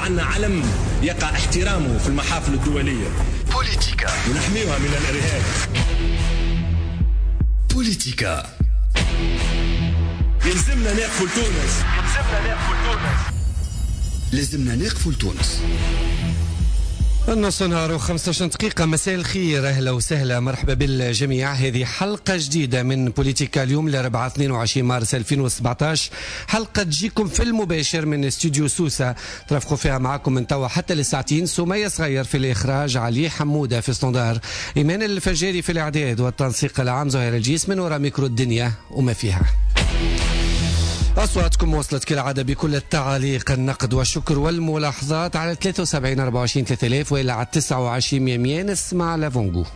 عندنا علم يقع احترامه في المحافل الدولية. بوليتيكا ونحميها من الإرهاب. بوليتيكا يلزمنا نقفوا لتونس. لازمنا نقفوا لتونس. النص نهار و15 دقيقة. مساء الخير، أهلا وسهلا، مرحبا بالجميع. هذه حلقة جديدة من بوليتيكا اليوم الأربعاء 22 مارس 2017، حلقة تجيكم في المباشر من استوديو سوسة، ترافقوا فيها معكم من توا حتى لساعتين. سمية صغير في الإخراج، علي حمودة في standard، إيمان الفجاري في الإعداد والتنسيق العام، زهير الجيس من وراء ميكرو الدنيا وما فيها. أصواتكم وصلت كالعادة بكل التعاليق، النقد والشكر والملاحظات على 73 24 3000 وإلى على 29 100. نسمع l'avant-goût.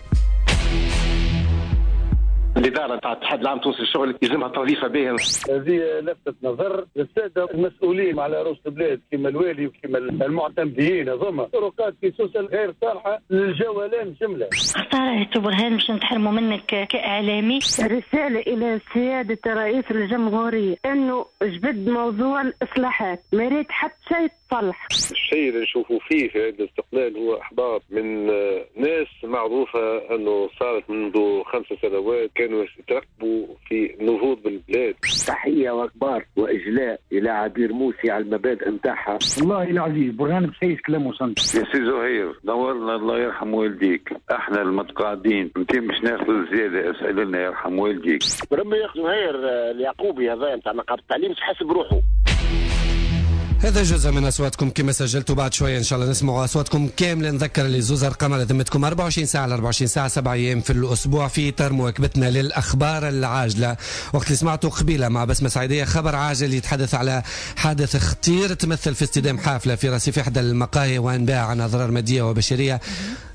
الإدارة نتاع الاتحاد العام التونسي للشغل يلزمها تنظيفها باهية. هذه لفتة نظر للسادة المسؤولين على رؤوس البلاد كما الوالي وكما المعتمدين، هذوما طرقات في سوسة غير صالحة للجولان جملة. خسارة برهان باش نتحرموا منك كإعلامي. رسالة إلى سيادة رئيس الجمهورية أنه جبد موضوع الإصلاحات، ما ريت حتى شيء تصلح. الشيء اللي نشوفه فيه في عيد الاستقلال هو إحباط من ناس معروفة أنه صارت منذ 5 سنوات كانوا يترقبوا في النهوض بالبلاد. تحية وأكبار وإجلاء إلى عبير موسي على المبادئ نتاعها. والله العزيز برهان بسيس كلامه صندوق. يا سي زهير دورنا، الله يرحم والديك، احنا المتقاعدين انت مش ناخذ الزيادة، اسأل لنا يرحم والديك. ربي ياخذ زهير اليعقوبي هذا نتاع نقابة التعليم حاسب روحه. هذا جزء من أصواتكم كما سجلتوا، بعد شوية إن شاء الله نسمعوا أصواتكم كاملة. نذكر اللي زوز أرقام على ذمتكم 24 ساعة على 24 ساعة 7 أيام في الأسبوع في إطار مواكبتنا للأخبار العاجلة. وقت اللي سمعتوا قبيلة مع بسمة سعيدية خبر عاجل يتحدث على حادث خطير تمثل في اصطدام حافلة في رصيف إحدى المقاهي وأنباء عن أضرار مادية وبشرية.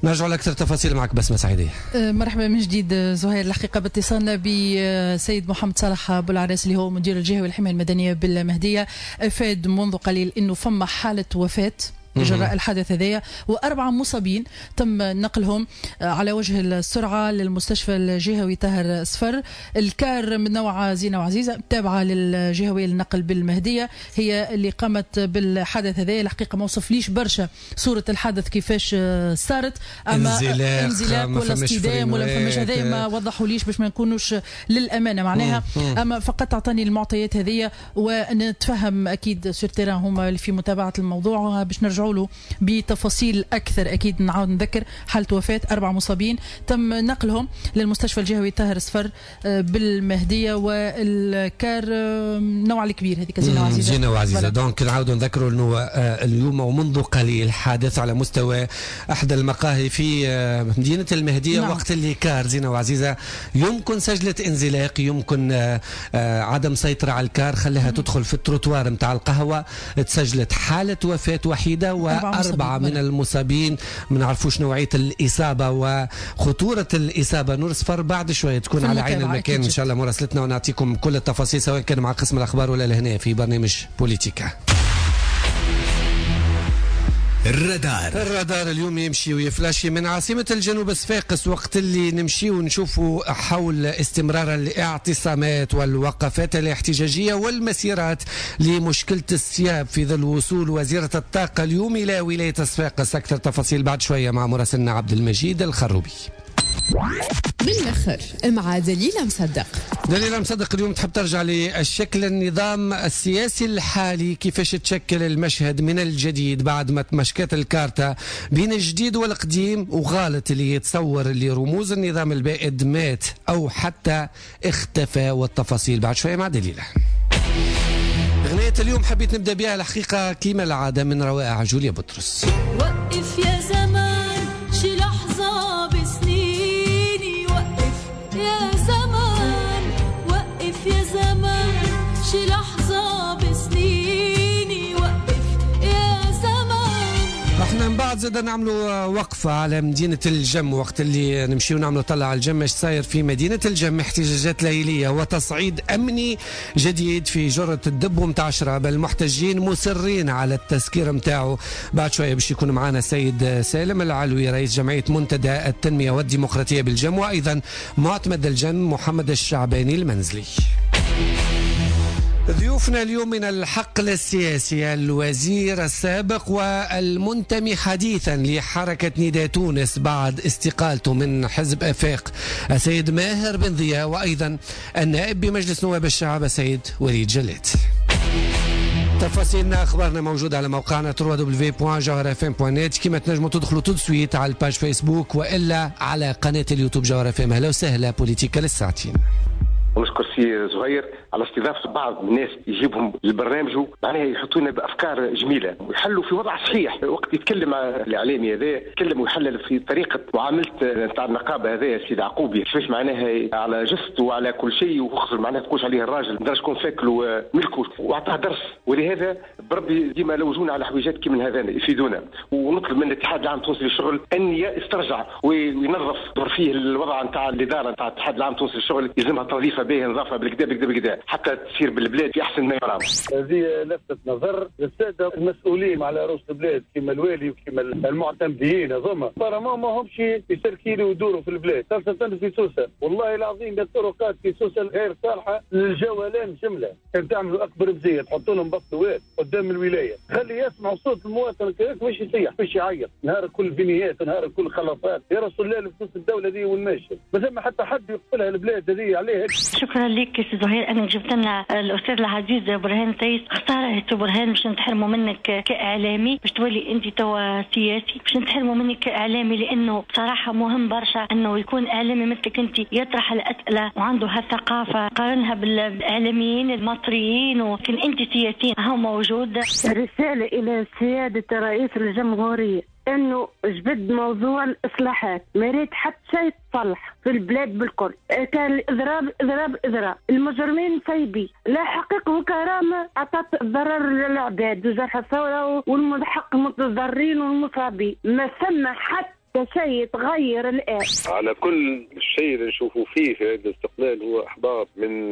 نرجع لأكثر تفاصيل معك بسمة سعيدية. مرحبا من جديد زهير. الحقيقة باتصالنا بسيد محمد صالح بولعراس اللي هو مدير الجهة والحماية المدنية بالمهدية، أفاد منذ قليل انه فما حاله وفاه جراء الحادث هذايا و4 مصابين تم نقلهم على وجه السرعة للمستشفى الجهوي طاهر صفر. الكار من نوع زينة وعزيزه تابعه للجهوي للنقل بالمهديه هي اللي قامت بالحادث هذايا. الحقيقة ما وصفليش برشا صوره الحادث كيفاش صارت، اما انزلاق ولا اصطدام ولا فماش هذايا ما وضحوليش باش ما نكونوش للامانة معناها. اما فقط اعطاني المعطيات هذيا ونتفهم اكيد sur terrain هما اللي في متابعه الموضوع باش نرجع له بتفاصيل أكثر. أكيد نعاود نذكر حالة وفاة 4 مصابين تم نقلهم للمستشفى الجهوي طاهر صفر بالمهدية، والكار نوع الكبير هذيك زينة وعزيزة. زينة وعزيزة. donc نعاود نذكروا أنه اليوم ومنذ قليل حادث على مستوى أحد المقاهي في مدينة المهدية. نعم. وقت اللي كار زينة وعزيزة يمكن سجلت انزلاق، يمكن عدم سيطرة على الكار خلاها تدخل في التروتوار نتاع القهوة، تسجلت حالة وفاة وحيدة و4 من المصابين. ما نعرفوش نوعية الإصابة وخطورة الإصابة. نور صفر بعد شوية تكون على عين المكان إن شاء الله مراسلتنا ونعطيكم كل التفاصيل سواء كان مع قسم الأخبار ولا لهنا في برنامج بوليتيكا. الرادار اليوم يمشي ويفلاشي من عاصمة الجنوب صفاقس، وقت اللي نمشي ونشوفوا حول استمرار الاعتصامات والوقفات الاحتجاجية والمسيرات لمشكلة السياب في ظل وصول وزيرة الطاقة اليوم إلى ولاية صفاقس. أكثر تفاصيل بعد شوية مع مراسلنا عبد المجيد الخروبي. بالآخر مع دليلة مصدق. دليلة مصدق اليوم تحب ترجع للشكل النظام السياسي الحالي، كيفاش تشكل المشهد من الجديد بعد ما تمشكت الكارتة بين الجديد والقديم، وغالط اللي يتصور اللي رموز النظام البائد مات أو حتى اختفى. والتفاصيل بعد شوية مع دليلة. أغنية اليوم حبيت نبدأ بها الحقيقة كما العادة من روائع جوليا بطرس. وقف يا زمان شي لحظة بسنيني، وقف يا زمان، وقف يا زمان شي لحظة بسنيني، وقف يا زمان. احنا من بعد زاد نعملوا وقفة على مدينة الجم، وقت اللي نمشيو نعملوا طلع على الجم اش صاير في مدينة الجم. احتجاجات ليلية وتصعيد أمني جديد في جرة الدب متاع شراب، المحتجين مصرين على التسكير متاعه. بعد شوية باش يكون معنا السيد سالم العلوي رئيس جمعية منتدى التنمية والديمقراطية بالجم، وأيضا معتمد الجم محمد الشعباني المنزلي. ضيوفنا اليوم من الحقل السياسي الوزير السابق والمنتمي حديثا لحركة نداء تونس بعد استقالته من حزب أفاق السيد ماهر بن ضياء، وأيضا النائب بمجلس نواب الشعب السيد وليد جلات. تفاصيلنا اخبارنا موجودة على موقعنا www.jawharafm.net، كما تنجموا تدخلوا tout de suite على ال page فيسبوك والا على قناة اليوتيوب جوهرة FM. اهلا وسهلا بوليتيكا للساعتين. ونشكر سي زهير على استضافة بعض الناس يجيبهم لبرنامجه، معناها يحطونا بافكار جميلة ويحلوا في وضع صحيح. وقت يتكلم الاعلامي هذا يتكلم ويحلل في طريقه معاملة نتاع النقابة هذا السيد عقوبي، كيفاش معناها على جثته وعلى كل شيء، وخسر معناها تقولش عليه الراجل ما شكون فاكله ملكه واعطاه درس. ولهذا بربي ديما لوجونا على حويجات كي من هذا يفيدونا. ونطلب من الاتحاد العام التونسي للشغل ان يسترجع وينظف فيه الوضع نتاع الادارة نتاع الاتحاد العام التونسي للشغل، يلزمها تنظيفها به نظافة بالكدا بالكدا بالكدا حتى تصير بالبلاد في احسن ما يرام. هذه لفتة نظر للسادة المسؤولين على رؤوس البلاد كما الوالي وكما المعتمدين هذوما، apparemment ما همش يسركيلوا ويدوروا في البلاد، خاصة في سوسة. والله العظيم الطرقات في سوسة غير صالحه للجولان جملة. كان تعملوا اكبر مزية تحطوا لهم بطوات قدام الولاية، خلي يسمعوا صوت المواطن كذاك مش يصيح مش يعيط، نهار كل بنيات نهار كل خلافات. يا رسول الله الفلوس الدولة دي والماشي ما ثم حتى حد يقبلها البلاد هذه عليه. شكرا لك سي زهير انك جبت لنا الاستاذ العزيز برهان بسيس. خسارة برهان باش نتحرموا منك كاعلامي، باش تولي انت توا سياسي، باش نتحرموا منك كاعلامي، لانه بصراحة مهم برشا انه يكون اعلامي مثلك انت يطرح الاسئلة وعنده هالثقافه، قارنها بالاعلاميين المصريين، ولكن انت سياسيين هو موجود. رسالة الى سيادة رئيس الجمهورية انه جبد موضوع الاصلاحات، ما ريت حتى شيء تصلح في البلاد بالكل. كان الاضراب اضراب اضراب، المجرمين سايبين، لا حقيقة وكرامة عطت ضرر للعباد وجرح الثورة والملحق المتضررين والمصابين، ما ثم حتى شيء تغير الآن. على كل الشيء اللي نشوفه فيه في عيد الاستقلال هو إحباط من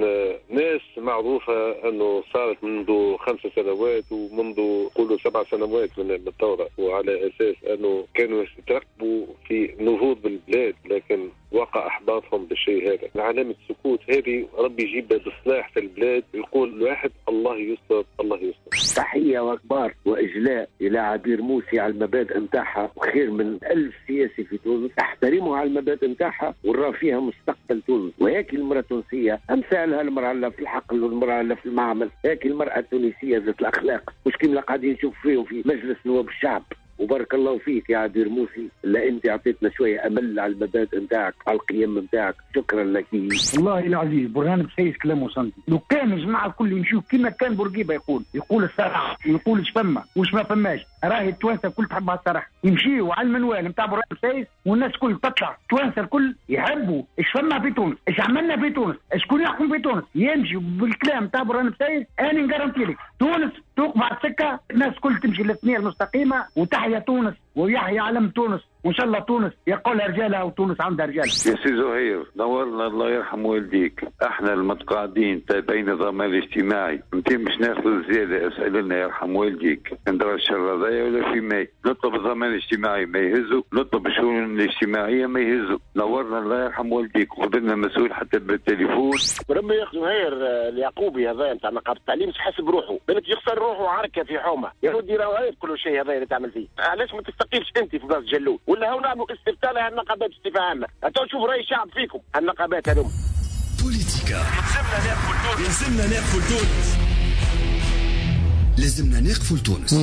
ناس معروفة أنه صارت منذ 5 سنوات ومنذ قولوا 7 سنوات من الثورة، وعلى أساس أنه كانوا يترقبوا في نهوض بالبلاد، لكن وقع إحباطهم بالشيء هذا. علامة السكوت هذه ربي يجيب بإصلاح في البلاد، يقول الواحد الله يستر الله يستر. تحية وأكبار وإجلاء إلى عبير موسي على المبادئ نتاعها، وخير من 1000 سياسي في تونس احترموا على المبادئ نتاعها ورا فيها مستقبل تونس. وهيك المرأة التونسية أمثالها، المرأة اللي في الحقل والمرأة اللي في المعمل، هيك المرأة التونسية ذات الأخلاق، مش كيما قاعدين نشوف فيهم في مجلس نواب الشعب. وبارك الله فيك يا عبير موسي، لا انت اعطيتنا شوية امل على المبادئ نتاعك، على القيم نتاعك، شكرا لك. والله العزيز برهان بسيس كلامه صندي، لو كان الجماعة الكل يمشيو كما كان بورقيبة يقول، يقول الصراحة، يقول اش فما واش ما فماش، راهي التوانسة الكل تحب على الصراحة، يمشيو على المنوال نتاع برهان بسيس والناس الكل تطلع، التوانسة الكل يحبوا اش فما في تونس، اش عملنا في تونس، شكون يحكم في تونس، يمشي بالكلام نتاع برهان بسيس. انا نقارنتي لك تونس توقف على السكة، الناس الكل تمشي للثنيه المستقيمة، وتحيا تونس ويحيى علم تونس، وان شاء الله تونس يقولها رجالها وتونس عندها رجال. يا سي زهير نورنا الله يرحم والديك، احنا المتقاعدين تابعين الضمان الاجتماعي، انت مش ناخذ الزيادة، اسال لنا يرحم والديك، ندرى الشر هذايا ولا في ماي، نطلب الضمان الاجتماعي ما يهزوا، نطلب الشؤون الاجتماعية ما يهزوا، نورنا الله يرحم والديك، وخذ لنا مسؤول حتى بالتليفون. بربي يا زهير اليعقوبي هذا نتاع نقابة التعليم حاسب روحه، بالك يخسر روحه عركة في حومه، يا ودي راهو عيب كل شيء هذا اللي تعمل فيه، علاش ما تستقيلش انت في بلاصة جلول؟ ولا هو نعملوا استفتاء لهالنقابات بصفة عامة، تو نشوف راي الشعب فيكم هالنقابات هذوما. بوليتيكا يلزمنا ناقفوا لتونس، لازمنا نقفوا لتونس.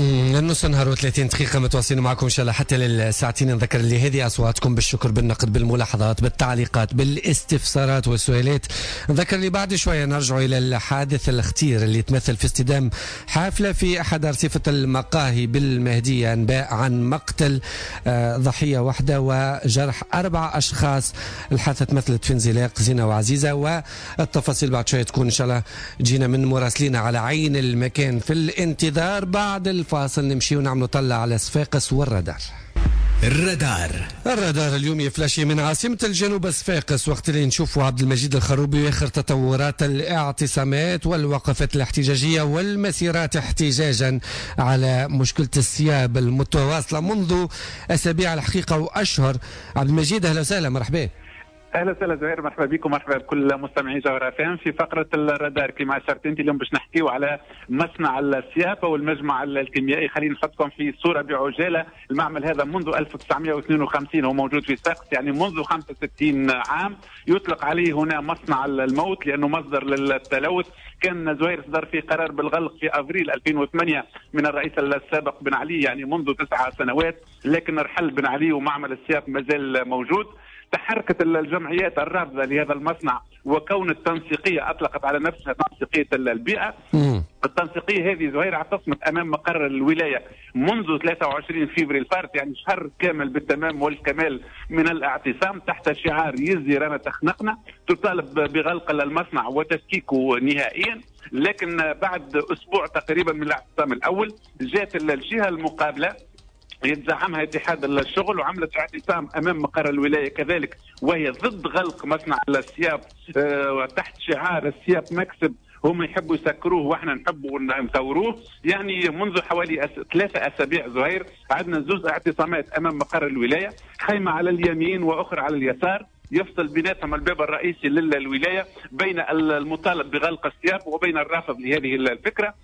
نص نهار و30 دقيقة متواصلين معكم إن شاء الله حتى للساعتين. نذكر اللي هذه أصواتكم بالشكر بالنقد بالملاحظات بالتعليقات بالاستفسارات والسؤالات. نذكر اللي بعد شوية نرجع إلى الحادث الخطير اللي تمثل في اصطدام حافلة في أحد أرصفة المقاهي بالمهدية، أنباء عن مقتل ضحية واحدة وجرح 4 أشخاص. الحادثة تمثلت في انزلاق زينة وعزيزة، والتفاصيل بعد شوية تكون إن شاء الله جينا من مراسلين على عين المكان. في الانتظار بعد الفاصل نمشي ونعملوا طلة على صفاقس والرادار. الرادار اليوم يفلاشي من عاصمة الجنوب صفاقس، وقت اللي نشوفوا عبد المجيد الخروبي آخر تطورات الاعتصامات والوقفات الاحتجاجية والمسيرات احتجاجا على مشكلة السياب المتواصلة منذ أسابيع الحقيقة وأشهر. عبد المجيد أهلا وسهلا، مرحبا. اهلا وسهلا زهير، مرحبا بكم، مرحبا بكل مستمعي جوهرة FM في فقره الرادار. كما اشرت انت، اليوم باش نحكيو على مصنع السياب والمجمع الكيميائي. خلينا نحطكم في صوره بعجاله. المعمل هذا منذ 1952 هو موجود في صفاقس، يعني منذ 65 عام. يطلق عليه هنا مصنع الموت لانه مصدر للتلوث. كان زهير صدر فيه قرار بالغلق في افريل 2008 من الرئيس السابق بن علي، يعني منذ 9 سنوات، لكن رحل بن علي ومعمل السياب مازال موجود. تحركت الجمعيات الرافضة لهذا المصنع، وكون التنسيقيه اطلقت على نفسها تنسيقيه البيئة. التنسيقيه هذه زهير اعتصمت امام مقر الولاية منذ 23 فبراير الفارط، يعني شهر كامل بالتمام والكمال من الاعتصام تحت شعار يزي رانا تخنقنا، تطالب بغلق المصنع وتفكيكه نهائيا. لكن بعد اسبوع تقريبا من الاعتصام الاول جاءت الجهة المقابلة يتزعمها اتحاد الشغل وعملت اعتصام امام مقر الولاية كذلك، وهي ضد غلق مصنع السياب تحت شعار السياب مكسب، هم يحبوا يسكروه واحنا نحبوا نثوروه. يعني منذ حوالي 3 اسابيع زهير عندنا زوز اعتصامات امام مقر الولاية، خيمة على اليمين واخرى على اليسار، يفصل بيناتهم الباب الرئيسي للولاية بين المطالب بغلق السياب وبين الرافض لهذه الفكرة.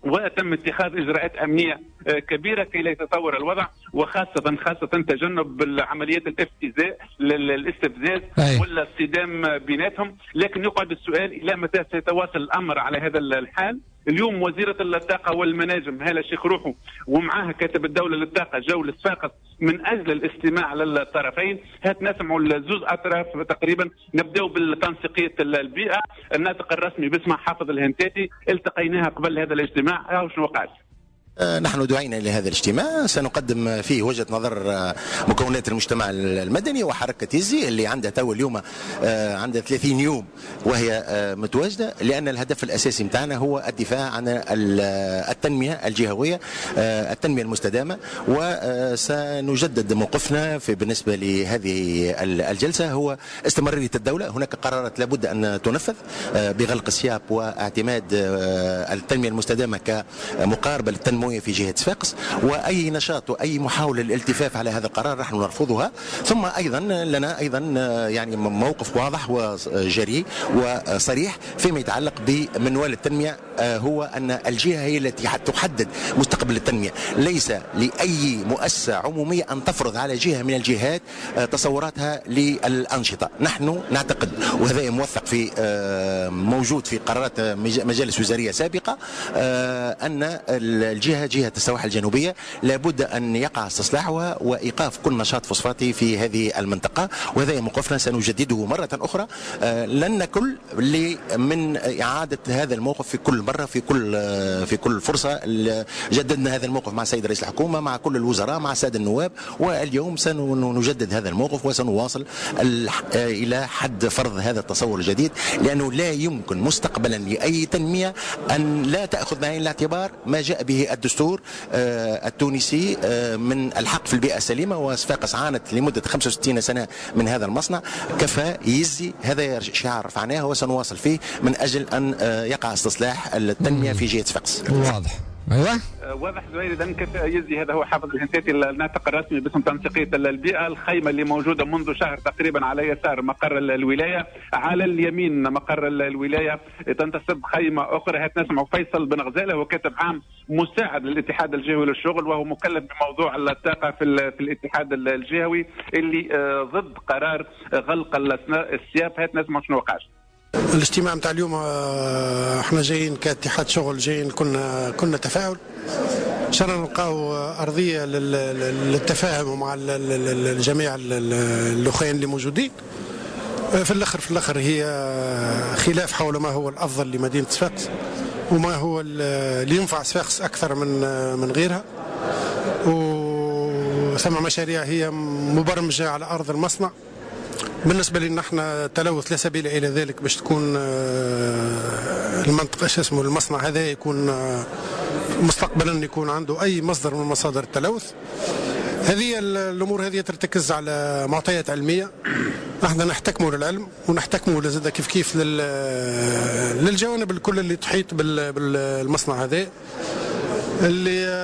وتم اتخاذ اجراءات امنية كبيرة كي لا يتطور الوضع، وخاصة خاصة تجنب عمليات الافتزاء الاستفزاز ولا الصدام بيناتهم. لكن يقعد السؤال الى متى سيتواصل الامر على هذا الحال؟ اليوم وزيرة الطاقة والمناجم هالة الشيخ روحو ومعاها كاتب الدولة للطاقة جو لصفاقس من أجل الاستماع للطرفين. هات نسمعوا الزوز أطراف تقريبا. نبداو بالتنسيقية البيئة، الناطق الرسمي باسمها حافظ الهنتاتي، التقيناها قبل هذا الاجتماع. هاو شنو قال؟ نحن دعينا إلى هذا الاجتماع، سنقدم فيه وجهة نظر مكونات المجتمع المدني وحركة يزي اللي عندها تو اليوم عندها 30 يوم وهي متواجدة، لأن الهدف الأساسي متاعنا هو الدفاع عن التنمية الجهوية، التنمية المستدامة. وسنجدد موقفنا في بالنسبة لهذه الجلسة هو استمرارية الدولة. هناك قرارات لابد أن تنفذ بغلق السياب واعتماد التنمية المستدامة كمقاربة للتنمية في جهة صفاقس، وأي نشاط وأي محاولة للالتفاف على هذا القرار نحن نرفضها. ثم أيضا لنا أيضا يعني موقف واضح وجريء وصريح فيما يتعلق بمنوال التنمية، هو أن الجهة هي التي تحدد مستقبل التنمية، ليس لأي مؤسسة عمومية أن تفرض على جهة من الجهات تصوراتها للأنشطة. نحن نعتقد، وهذا موثق في موجود في قرارات مجالس وزارية سابقة، أن الجهة جهة السواحل الجنوبية لابد أن يقع استصلاحها وإيقاف كل نشاط فوسفاتي في هذه المنطقة، وهذا موقفنا سنجدده مرة أخرى. لن نكل من إعادة هذا الموقف في كل مرة، في كل فرصة. جددنا هذا الموقف مع السيد رئيس الحكومة، مع كل الوزراء، مع السادة النواب، واليوم سنجدد هذا الموقف وسنواصل إلى حد فرض هذا التصور الجديد، لأنه لا يمكن مستقبلا لأي تنمية أن لا تأخذ بعين الاعتبار ما جاء به الدستور التونسي من الحق في البيئة السليمة. وصفاقس عانت لمدة 65 سنة من هذا المصنع، كفى يزي، هذا شعار رفعناه وسنواصل فيه من أجل أن يقع استصلاح التنمية في جهة صفاقس. واضح. ايوه واضح زهير. اذا كيف يزي، هذا هو حافظ الهنتاتي الناطق الرسمي باسم تنسيقيه البيئة. الخيمة اللي موجودة منذ شهر تقريبا على يسار مقر الولاية، على اليمين مقر الولاية تنتصب خيمة اخرى. هات نسمع فيصل بن غزاله، هو كاتب عام مساعد للاتحاد الجهوي للشغل، وهو مكلف بموضوع الطاقة في الاتحاد الجهوي اللي ضد قرار غلق السياب. هات نسمع شنو وقع. الاجتماع نتاع اليوم احنا جايين كاتحاد شغل، جايين كنا تفاعل، ان شاء الله نلقاو ارضية للتفاهم مع الجميع الاخوين اللي موجودين. في الاخر هي خلاف حول ما هو الافضل لمدينة صفاقس وما هو اللي ينفع صفاقس اكثر من غيرها. وثم مشاريع هي مبرمجه على ارض المصنع. بالنسبة لنا احنا تلوث لا سبيل الى ذلك باش تكون المنطقة شو اسمه المصنع هذا يكون مستقبلا يكون عنده اي مصدر من مصادر التلوث. هذه الامور هذه ترتكز على معطيات علمية، احنا نحتكموا للعلم ونحتكموا لزاد كيف كيف للجوانب الكل اللي تحيط بالمصنع هذا. اللي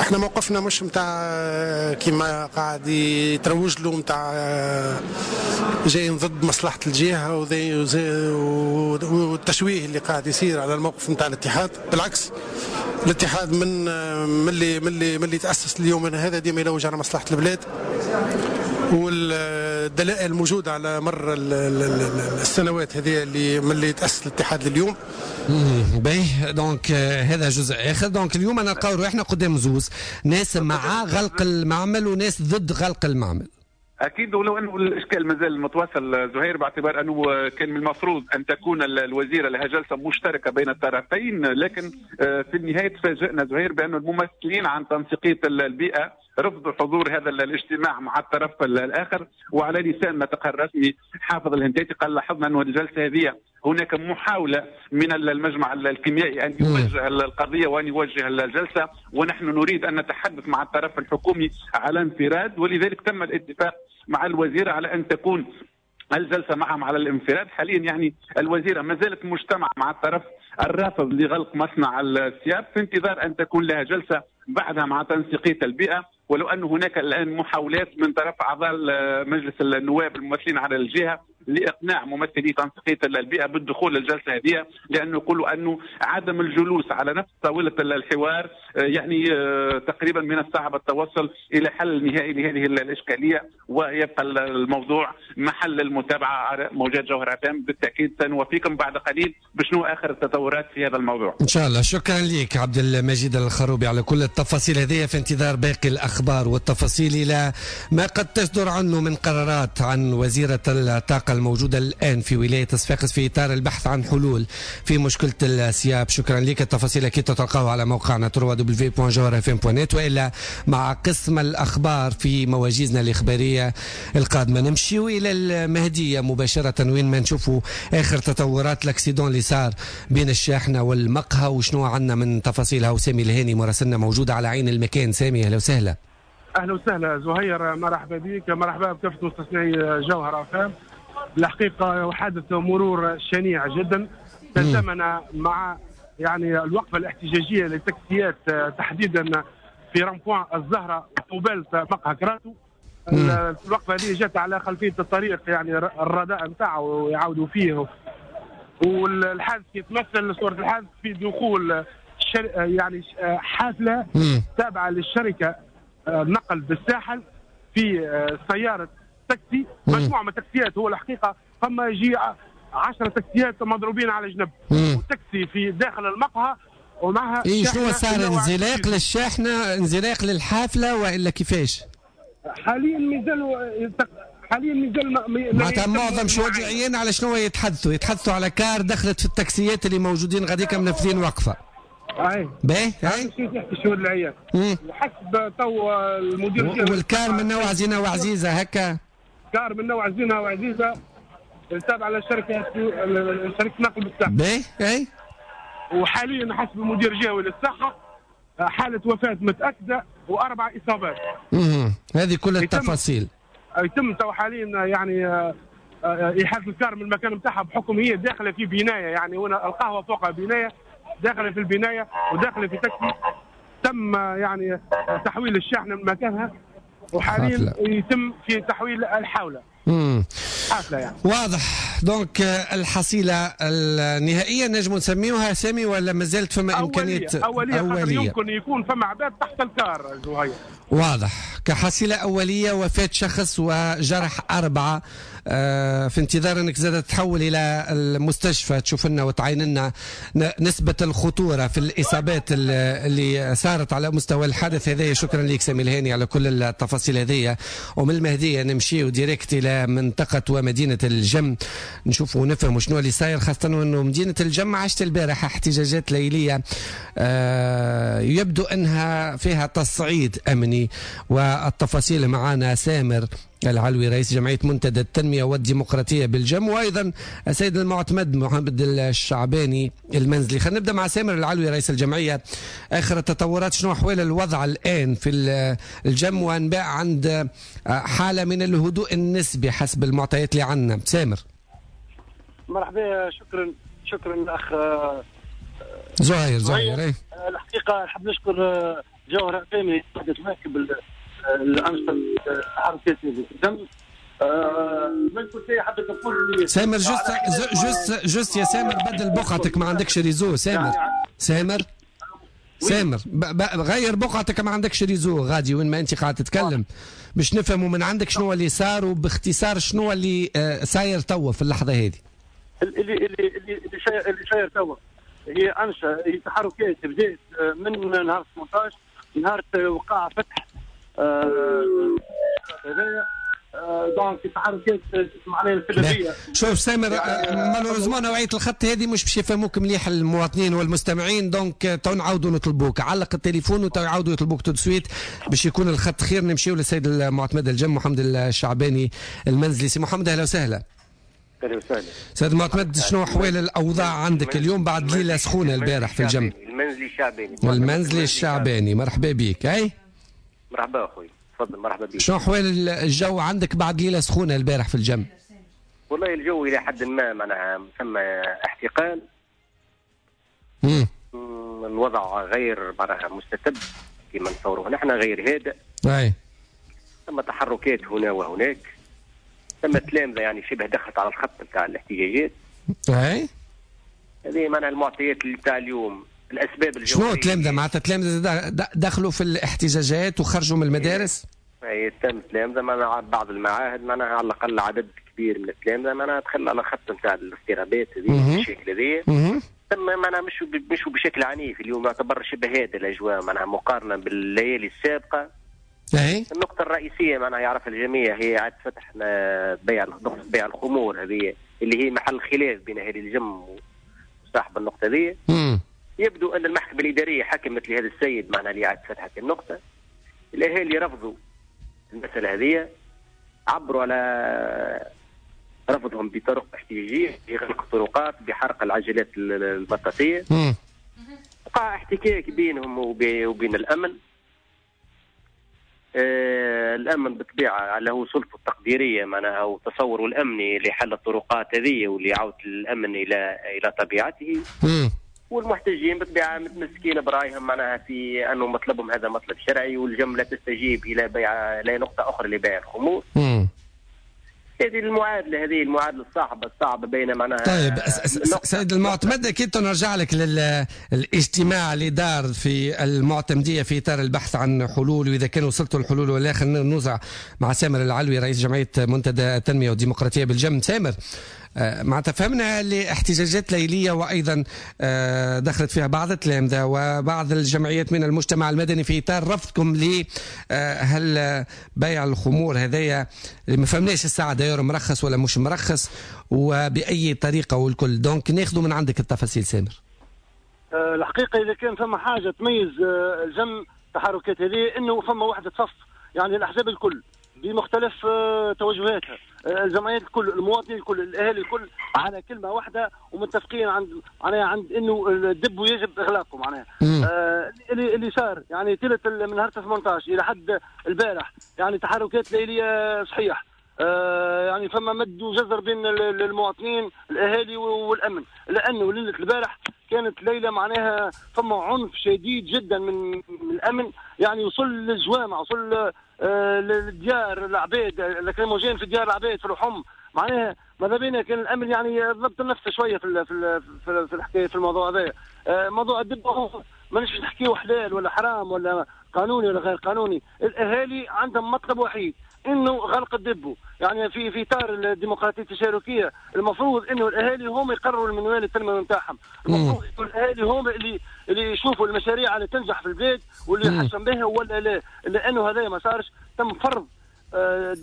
احنا موقفنا مش نتاع كيما قاعد يتروج له نتاع جايين ضد مصلحة الجهة والتشويه اللي قاعد يصير على الموقف نتاع الاتحاد. بالعكس الاتحاد من اللي من اللي من اللي تأسس اليوم هذا ديما يلوج على مصلحة البلاد، والدلائل موجودة على مر السنوات هذه اللي من اللي تأسس الاتحاد لليوم. باهي، donc هذا جزء اخر. donc اليوم نلقاو روحنا قدام زوز ناس مع غلق المعمل وناس ضد غلق المعمل. اكيد، ولو انه الاشكال مازال متواصل زهير، باعتبار انه كان من المفروض ان تكون الوزيرة لها جلسه مشتركة بين الطرفين، لكن في النهاية تفاجئنا زهير بان الممثلين عن تنسيقيه البيئة رفضوا حضور هذا الاجتماع مع الطرف الاخر. وعلى لسان ناطق الرسمي حافظ الهنداتي قال لاحظنا انه الجلسة هذه هناك محاولة من المجمع الكيميائي أن يوجه القضية وأن يوجه الجلسة، ونحن نريد أن نتحدث مع الطرف الحكومي على انفراد، ولذلك تم الاتفاق مع الوزيرة على أن تكون الجلسة معهم على الانفراد. حاليا يعني الوزيرة ما زالت مجتمعة مع الطرف الرافض لغلق مصنع السياب في انتظار أن تكون لها جلسة بعدها مع تنسيقية البيئة، ولو أن هناك الآن محاولات من طرف أعضاء مجلس النواب الممثلين على الجهة لإقناع ممثلي تنسيقية البيئة بالدخول للجلسة هذه، لأنه يقولوا أنه عدم الجلوس على نفس طاولة الحوار يعني تقريبا من الصعب التوصل إلى حل نهائي لهذه الإشكالية، ويبقى الموضوع محل المتابعة على موجات جوهرة أف أم. بالتأكيد سنوافيكم بعد قليل بشنو آخر التطورات في هذا الموضوع إن شاء الله. شكرا لك عبد المجيد الخروبي على كل التفاصيل هذه، في انتظار باقي الأخبار والتفاصيل إلى ما قد تصدر عنه من قرارات عن وزيرة الطاقة الموجودة الآن في ولاية صفاقس في إطار البحث عن حلول في مشكلة السياب. شكرا لك. التفاصيل أكيد تلقاها على موقعنا www.jawharafm.net وإلا مع قسم الأخبار في مواجيزنا الإخبارية القادمة. نمشي إلى المهدية مباشرة وين ما نشوفوا آخر تطورات l'accident اللي صار بين الشاحنة والمقهى وشنو عندنا من تفاصيلها. وسامي الهاني مراسلنا موجود على عين المكان. سامي أهلا وسهلا. أهلا وسهلا زهير، مرحبا بك، مرحبا بكافة مستثني جوهرة أف أم. الحقيقة حادث مرور شنيع جدا تزامن مع يعني الوقفة الاحتجاجية للتاكسيات تحديدا في rond-point الزهرة قبالة مقهى كراتو. الوقفة هذه جت على خلفية الطريق يعني الرداء نتاعو ويعاودوا فيه، والحادث يتمثل صورة الحادث في دخول يعني حافلة تابعة للشركة نقل بالساحل في سيارة تاكسي، مجموعة من التاكسيات. هو الحقيقة فما يجي 10 تاكسيات مضروبين على جنب، وتاكسي في داخل المقهى ومعها. إيه شنو صار؟ انزلاق للشاحنة، انزلاق للحافلة وإلا كيفاش؟ حاليا مازال معناتها معظم شهود العيان على شنو يتحدثوا؟ يتحدثوا على car دخلت في التاكسيات اللي موجودين غاديك منفذين وقفة. اي باهي اي تحكي شهود العيان وحسب تو المدير وال car من نوع زينة وعزيزة هكا، car من نوع زينة وعزيزة تابعة لشركة نقل بالساحل. باهي اي وحاليا حسب المدير الجهوي للصحة حالة وفاة متأكدة و4 إصابات. هذه كل التفاصيل. يتم تو حاليا يعني إحالة ال car من المكان نتاعها بحكم هي داخلة في بناية، يعني هنا القهوة فوقها بناية، داخلة في البناية وداخلة في تاكسي. تم يعني تحويل الشاحنة من مكانها وحاليا يتم في تحويل الحاولة. حافلة يعني. واضح. donc الحصيلة النهائية نجم نسميوها سامي ولا مازالت فما إمكانية؟ أولية. يمكن يكون فما عباد تحت ال car زهير. واضح. كحصيلة أولية وفاة شخص وجرح 4، في انتظار أنك زادة تحول إلى المستشفى تشوف لنا وتعاين لنا نسبة الخطورة في الإصابات اللي صارت على مستوى الحادث هذا. شكرا لك سامي الهاني على كل التفاصيل هذه. ومن المهدية نمشي direct إلى منطقة ومدينة الجم نشوف ونفهم شنو اللي صاير، خاصة أنه مدينة الجم عشت البارحة احتجاجات ليلية يبدو أنها فيها تصعيد أمني. والتفاصيل معنا سامر العلوي رئيس جمعية منتدى التنمية والديمقراطية بالجم، وأيضا السيد المعتمد محمد الشعباني المنزلي. خلينا نبدأ مع سامر العلوي رئيس الجمعية. آخر التطورات، شنو أحوال الوضع الآن في الجم وأنباء عند حالة من الهدوء النسبي حسب المعطيات اللي عندنا؟ سامر مرحبا. شكرا الأخ زهير. الحقيقة نحب نشكر جوهرة قيمة قاعدة تواكب الانشطة التحركات اللي تتم. من كل شيء حبيت نقول سامر juste يا سامر بدل بقعتك، ما عندكش réseau. سامر سامر سامر غير بقعتك، ما عندكش réseau غادي وين ما انت قاعد تتكلم، باش نفهموا من عندك شنو اللي صار وباختصار شنو اللي صاير توا في اللحظة هذه. اللي اللي اللي اللي صاير توا هي انشطة، هي تحركات بدات من نهار 18، نهار وقع فتح هذايا. donc التحركات معناها السلبية. شوف سامر، malheureusement نوعية الخط هذه مش باش يفهموك مليح المواطنين والمستمعين، donc تو نعاودوا نطلبوك، علق التليفون وتو يعاودوا يطلبوك tout de suite باش يكون الخط خير. نمشيو للسيد المعتمد الجم محمد الشعباني المنزلي. سي محمد اهلا وسهلا. اهلا وسهلا سيد المعتمد، شنو احوال الاوضاع عندك اليوم بعد ليلة سخونة البارح في الجم؟ المنزلي الشعباني. المنزلي الشعباني، مرحبا بك. اي مرحبا اخوي، تفضل. مرحبا بك. شنو احوال الجو عندك بعد ليلة سخونة البارح في الجم؟ والله الجو الى حد ما معناها ثم احتقان. الوضع غير معناها مستتب كما نتصوروه نحن، غير هادئ. اي ثم تحركات هنا وهناك، ثم تلامذه يعني شبه دخلت على الخط نتاع الاحتجاجات. اي هذه معناها المعطيات اللي تاع اليوم، الاسباب الجوهرية. شنو تلامذه؟ معناتها تلامذه دخلوا في الاحتجاجات وخرجوا من المدارس؟ اي تم تلامذه معناها بعض المعاهد معناها على الاقل عدد كبير من التلامذه معناها دخل على خط نتاع الاضطرابات هذه بالشكل هذه. ثم معناها مشوا بشكل عنيف اليوم، يعتبر شبه هذا الاجواء معناها مقارنة بالليالي السابقة. اي النقطة الرئيسية معناها يعرف الجميع هي عاد فتح بيع الخمور هذه اللي هي محل خلاف بين اهالي الجم وصاحب النقطة هذه. يبدو ان المحكمة الادارية حكمت لهذا السيد معناها اللي عاد فتحت النقطة. الاهالي رفضوا المسالة هذه، عبروا على رفضهم بطرق احتجاجية، بغلق الطرقات، بحرق العجلات البطاطيه. وقع احتكاك بينهم وبين الامن. الامن بالطبيعة له سلطة التقديريه معناها وتصوره الامني لحل الطرقات هذه واللي عودة الامن الى طبيعته. والمحتجين بالطبيعة متمسكين برايهم معناها في انه مطلبهم هذا مطلب شرعي، والجم لا تستجيب الى بيع لا نقطة اخرى لبيع الخمور. هذه المعادلة الصعبة بين معناها. طيب سيد المعتمد، اكيد نرجع لك للاجتماع اللي دار في المعتمديه في اطار البحث عن حلول، واذا كان وصلتوا الحلول ولا. خلينا نوزع مع سامر العلوي رئيس جمعية منتدى التنمية والديمقراطية بالجم. سامر، معناتها فهمنا اللي احتجاجات ليليه وايضا دخلت فيها بعض التلامذه وبعض الجمعيات من المجتمع المدني في اطار رفضكم ل هل بيع الخمور هذايا اللي ما فهمناش الساعة داير مرخص ولا مش مرخص وباي طريقه والكل، donc ناخذوا من عندك التفاصيل سامر. الحقيقة اذا كان فما حاجة تميز الجم التحركات هذه انه فما وحده صف، يعني الاحزاب الكل بمختلف توجهاتها، الجمعيات الكل، المواطنين الكل، الاهالي الكل على كلمة واحدة ومتفقين عند انه ال dépôt يجب اغلاقه معناها. اللي صار يعني طيلة من نهار 18 الى حد البارح يعني تحركات ليليه صحيح، يعني فما مد وجزر بين المواطنين الاهالي والامن، لانه ليلة البارح كانت ليلة معناها فما عنف شديد جدا من الامن، يعني وصل للجوامع، وصل للديار العباد، lacrymogène في ديار العباد في الحم، معناها ماذا بينا كان الامن يعني ضبط النفس شوية في في في, في الحكاية في الموضوع هذا. موضوع ال dépôt مانيش باش نحكيو حلال ولا حرام ولا قانوني ولا غير قانوني، الاهالي عندهم مطلب وحيد انه غلق ال dépôt، يعني في اطار الديمقراطية التشاركيه المفروض انه الاهالي هم يقرروا المنوال التنموي نتاعهم، المفروض انه الاهالي هم اللي يشوفوا المشاريع اللي تنجح في البلاد واللي يحسن بها ولا لا، لانه هذا ما صارش، تم فرض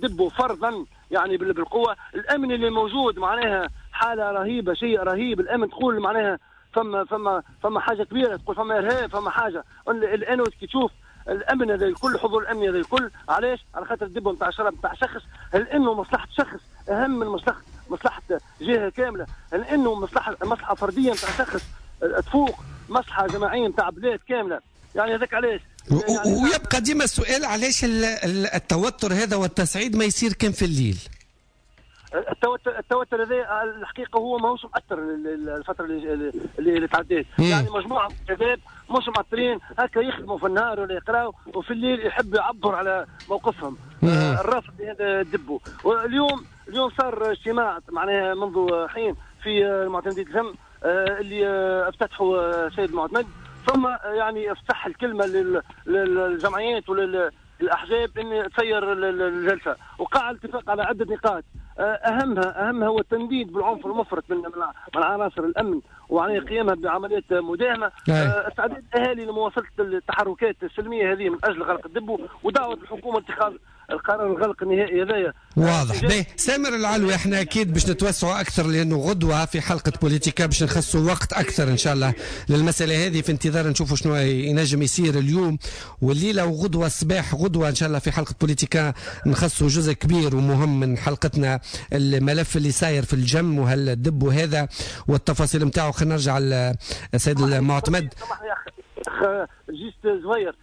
dépôt فرضا يعني بالقوة، الامن اللي موجود معناها حاله رهيبة، شيء رهيب، الامن تقول معناها فما فما فما حاجة كبيرة، تقول فما ارهاب، فما حاجة، الان كي تشوف الامن هذا الكل، حضور الامن هذا الكل، علاش؟ على خاطر ال dépôt نتاع شراب نتاع شخص، هل انه مصلحة شخص اهم من مصلحة جهة كاملة؟ هل انه مصلحة فردية نتاع شخص تفوق مصلحة جماعية نتاع بلاد كاملة؟ يعني هذاك علاش. يعني ويبقى ديما السؤال علاش التوتر هذا والتصعيد ما يصير كان في الليل؟ التوتر هذا الحقيقة هو ماهوش مأثر الفترة اللي تعديت. يعني مجموعة من الشباب مش مأثرين هكا، يخدموا في النهار ولا يقراوا، وفي الليل يحبوا يعبروا على موقفهم الرافض لهذا ال dépôt. واليوم صار اجتماع معناها منذ حين في المعتمدية الجم اللي افتتحوا السيد المعتمد، ثم يعني افتح الكلمة للجمعيات وللاحزاب ان تسير الجلسة، وقع الاتفاق على عده نقاط، اهمها هو التنديد بالعنف المفرط من عناصر الامن وعلى قيامها بعمليات مداهمة، استعداد الاهالي لمواصلة التحركات السلمية هذه من اجل غلق ال dépôt، ودعوة الحكومة اتخاذ القرار الغلق النهائي هذايا. واضح. باهي سامر العلوي، احنا اكيد باش نتوسعوا اكثر لانه غدوه في حلقة بوليتيكا باش نخصوا وقت اكثر ان شاء الله للمسالة هذه، في انتظار نشوفوا شنو ينجم يصير اليوم والليلة وغدوه الصباح. غدوه ان شاء الله في حلقة بوليتيكا نخصوا جزء كبير ومهم من حلقتنا الملف اللي صاير في الجم وهال dépôt هذا والتفاصيل نتاعو. خلينا نرجع للسيد المعتمد. juste صغير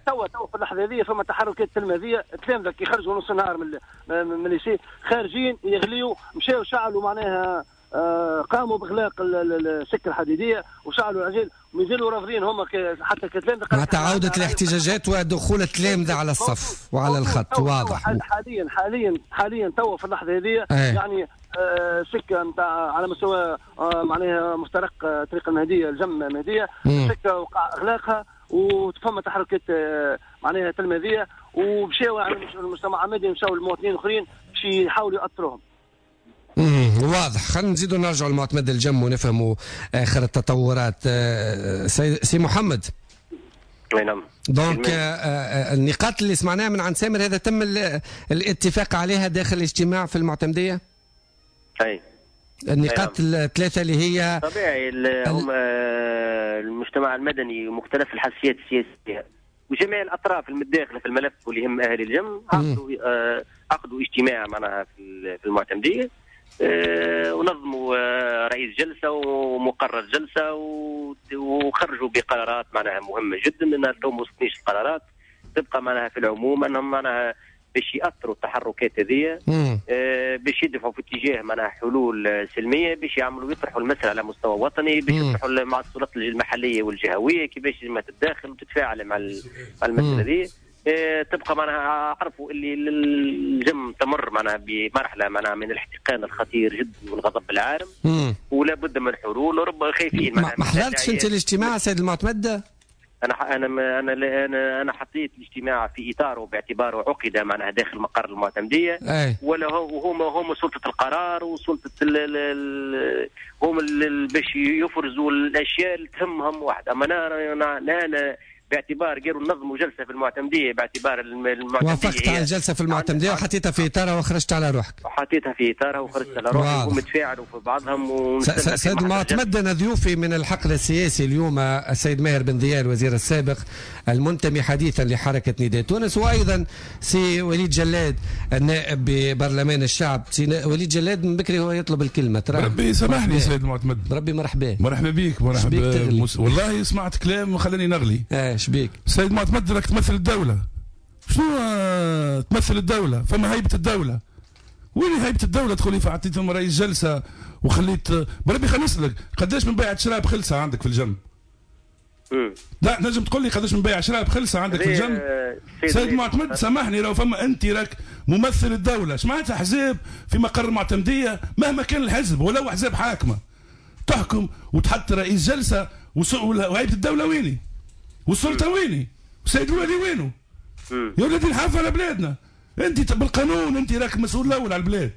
توا في اللحظة هذه فما تحركات تلميذيه، التلامذه كي خرجوا نص النهار من ال lycée خارجين يغليوا، مشاو شعلوا معناها قاموا باغلاق السكة الحديدية وشعلوا العجل، ومازالوا رافضين هما حتى كتلامذه. مع تعاودة الاحتجاجات ودخول التلامذه على الصف وعلى الخط. واضح. حاليا حاليا حاليا توا في اللحظة هذه يعني سكة نتاع على مستوى معناها مفترق طريق المهدية الجم المهدية، سكة وقع اغلاقها وفما تحركات معناها تلميذيه، ومشاو يعني المجتمع المدني مشاو المواطنين الاخرين باش يحاولوا يأثروهم. واضح. خلينا نزيدوا نرجعوا للمعتمد الجم ونفهموا اخر التطورات. سي محمد. نعم. donc النقاط اللي سمعناها من عند سامر هذا تم الاتفاق عليها داخل الاجتماع في المعتمديه؟ اي. النقاط الثلاثة اللي هي طبيعي هم المجتمع المدني ومختلف الحساسيات السياسية وجميع الاطراف المتداخله في الملف واللي يهم اهالي الجم عقدوا اجتماع معناها في المعتمديه، ونظموا رئيس جلسه ومقرر جلسه وخرجوا بقرارات معناها مهمة جدا. انها تو ما وصلتنيش القرارات، تبقى معناها في العموم انهم معناها باش يأثروا التحركات هذه، باش يدفعوا في اتجاه معناها حلول سلمية، باش يعملوا يطرحوا المسالة على مستوى وطني، باش يطرحوا مع السلطات المحلية والجهويه كيفاش لازم تتداخل وتتفاعل مع المسالة هذه. تبقى معناها عرفوا اللي الجم تمر معناها بمرحلة معناها من الاحتقان الخطير جدا والغضب العارم، ولا بد من حلول، وربما خايفين معناها. ما حضرتش انت الاجتماع سيد المعتمد؟ انا انا انا انا حطيت الاجتماع في اطاره باعتباره عقد معناها داخل مقر المعتمديه، ولا هما سلطة القرار وسلطة هم باش يفرزوا الاشياء اللي تهمهم واحد. اما انا باعتبار قالوا نظموا جلسه في المعتمديه، باعتبار المعتمديه وافقت على الجلسة في المعتمديه وحطيتها في اطارها وخرجت على روحك. حطيتها في اطارها وخرجت على روحي، ومتفاعلوا في بعضهم. سيد المعتمد، انا ضيوفي من الحقل السياسي اليوم السيد ماهر بن ضياء الوزير السابق المنتمي حديثا لحركة نداء تونس، وايضا سي وليد جلاد النائب ببرلمان الشعب. سي وليد جلاد من بكري هو يطلب الكلمة. ترى ربي سامحني سيد المعتمد. ربي مرحبا. مرحبا بك. مرحبا. والله سمعت كلام خلاني نغلي. شبيك سيد معتمد؟ راك تمثل الدولة. شنو تمثل الدولة؟ فما هيبة الدولة. وين هيبة الدولة؟ تقولي فعطيتهم رئيس جلسة وخليت بربي. خليني نسألك قداش من بيعة شراب خلصة عندك في الجنب؟ لا نجم تقول لي قداش من بيع شراب خلصة عندك في الجنب؟ سيد معتمد سامحني، لو فما انت راك ممثل الدولة، اش معناتها احزاب في مقر المعتمدية مهما كان الحزب ولو احزاب حاكمة تحكم وتحط رئيس جلسة وهيبة الدولة ويني؟ والسلطة ويني؟ والسيد الوالي وينه؟ يا ولادي نحافظ على بلادنا. انت بالقانون انت راك مسؤول الاول على البلاد،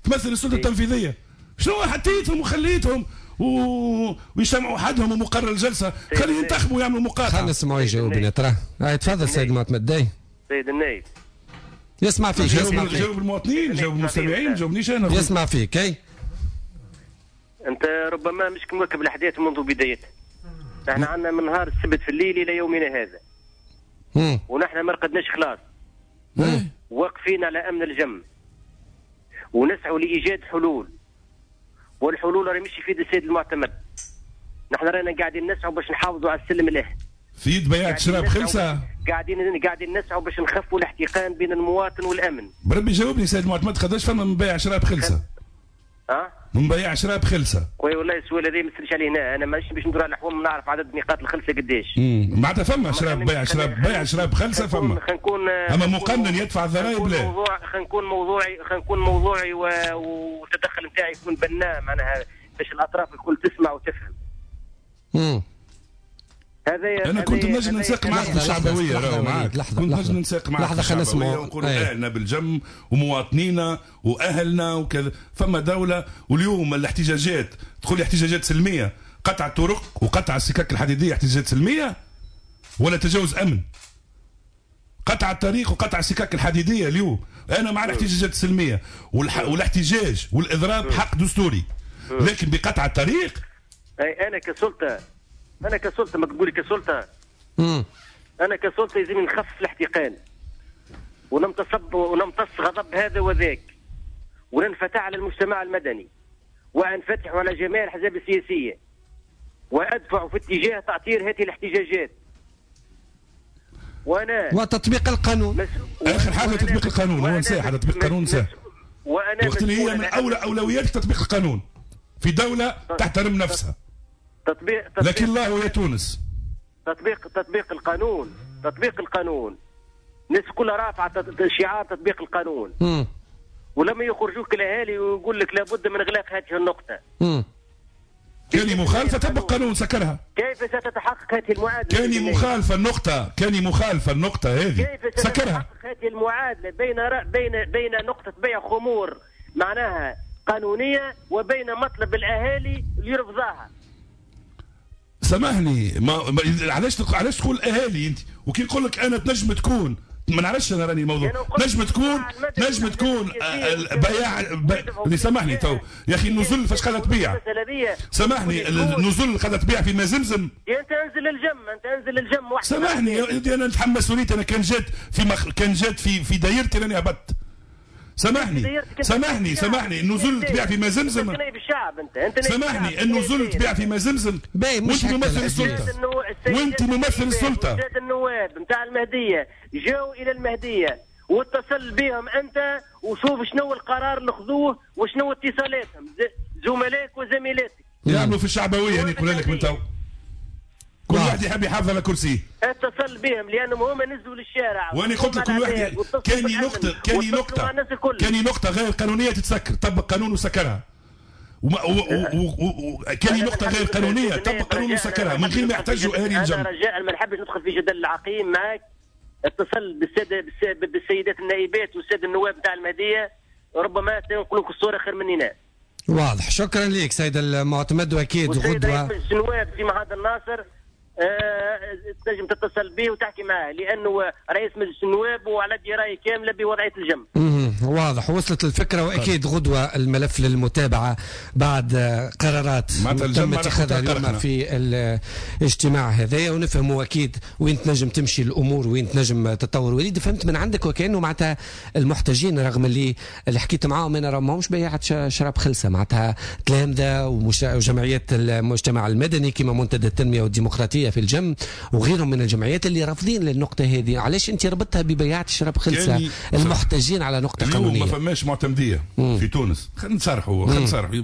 تمثل السلطة التنفيذية. شنو حطيتهم وخليتهم ويجتمعوا وحدهم ومقرر الجلسة؟ خليهم ينتخبوا ويعملوا مقاطعه. خلينا نسمعوا يجاوبنا ترى. تفضل سيد المعتمد. داي سيد النايب يسمع فيك. يسمع فيك. جاوب المواطنين، جاوب المستمعين، جاوبنيش انا. يسمع فيك. اي انت ربما مش مواكب الاحداث منذ بدايتها. نحن عندنا من نهار السبت في الليل الى يومنا هذا، ونحن ما رقدناش خلاص، واقفين على امن الجم ونسعوا لايجاد حلول، والحلول راهي مش في يد السيد المعتمد. نحن رانا قاعدين نسعوا باش نحافظوا على السلم الاهلي. في يد بيعة شراب خلصه. قاعدين نسعوا باش نخفوا الاحتقان بين المواطن والامن. بربي جاوبني سيد معتمد، قداش فما من بيع شراب خلسه؟ من بيع شراب خلسه. خويا والله السؤال هذا ما تسالش عليه هنا، انا مانيش باش ندور على الحوم نعرف عدد نقاط الخلسه قداش. معناتها فما شراب بيع شراب، بيع شراب خلسه فما. خنكون اما مقنن يدفع الضرائب لا. خنكون موضوعي، والتدخل نتاعي يكون بناء، معناها باش الاطراف الكل تسمع وتفهم. هذا انا كنت نجم نساق معك في الشعبوية، راهو معاك كنت نجم نساق معك في الشعبوية ونقولوا اهلنا بالجم ومواطنينا واهلنا وكذا. فما دولة، واليوم الاحتجاجات تقول لي احتجاجات سلمية، قطع الطرق وقطع السكك الحديدية احتجاجات سلمية ولا تجاوز امن؟ قطع الطريق وقطع السكك الحديدية اليوم انا مع الاحتجاجات السلمية والاحتجاج والاضراب حق دستوري، لكن بقطع الطريق اي انا كسلطه ما تقولي كسلطه. انا كسلطه لازم نخفف الاحتقان ونمتص غضب هذا وذاك، وننفتح على المجتمع المدني، وانفتح على جميع الاحزاب السياسية، وادفع في اتجاه تعطير هذه الاحتجاجات. وانا وتطبيق القانون. اخر حاجة تطبيق القانون، هو نساء على تطبيق القانون نساء. وانا وقت اللي هي من اولى اولويات تطبيق القانون في دولة تحترم نفسها. تطبيق لكن الله يا تونس. تطبيق القانون، الناس كلها رافعه شعار تطبيق القانون. ولما يخرجوك الاهالي ويقول لك لابد من اغلاق هذه النقطة. كان مخالفة طبق قانون سكرها. كيف ستتحقق هذه المعادلة؟ كان مخالفة النقطة، كان مخالفة النقطة هذه كيف سكرها. ستتحقق هذه المعادلة بين نقطة بيع خمور معناها قانونية وبين مطلب الاهالي اللي يرفضها؟ سامحني، ما علاش تقول اهالي انت؟ وكي نقول لك انا تنجم تكون، ما نعرفش انا راني الموضوع، نجم تكون بياع اللي سامحني تو يا اخي النزل فاش قاعدة تبيع، سامحني النزل قاعدة تبيع في مازمزم. انت انزل الجم، انت انزل الجم وحدك. سامحني يا ودي انا نتحمل مسؤوليتي، انا كان جات في كان جات في دايرتي راني هبطت. سامحني سامحني سامحني، النزول تبيع في مازمزم. انت نائب الشعب، انت سامحني، النزول تبيع في مازمزم وانت ممثل السلطة، وانت ممثل السلطة. السادة النواب نتاع المهدية جاوا الى المهدية واتصل بهم انت وشوف شنو القرار اللي خذوه وشنو اتصالاتهم، زملائك وزميلاتك يعملوا في الشعبوية. يعني نقول لك من تو كل واحد يحب يحافظ على كرسيه. اتصل بهم لانهم هما نزلوا للشارع. وانا قلت لك كل واحد كان نقطة غير قانونية تتسكر، طبق قانون وسكرها. كان نقطة غير قانونية طبق قانون وسكرها من غير ما يحتاجوا اهالي الجنب. انا رجاء ما نحبش ندخل في جدل العقيم معك. اتصل بالسيدات النائبات والسادة النواب نتاع المهدية، ربما سينقلوك الصورة خير مننا. واضح، شكرا لك سيد المعتمد. واكيد غدوه رئيس النواب في معهد الناصر تنجم تتصل به وتحكي معاه، لانه رئيس مجلس النواب وعلى دراية كاملة بوضعيه الجنب. واضح، وصلت الفكرة. واكيد غدوه الملف للمتابعة بعد قرارات تم اتخاذها اليوم في الاجتماع هذايا، ونفهموا اكيد وين تنجم تمشي الامور وين تنجم تتطور. وليد، فهمت من عندك وكانه معناتها المحتجين رغم اللي حكيت معاهم انا راه ماهمش بيعة شراب خلسه، معناتها تلامذه وجمعيات المجتمع المدني كما منتدى التنمية والديمقراطية في الجم وغيرهم من الجمعيات اللي رافضين للنقطة هذه. علاش انت ربطتها ببيعة شراب خلسه المحتجين على نقطة قانونية؟ ما فماش معتمديه في تونس. خلينا نصرحوا، خلينا نصرحوا.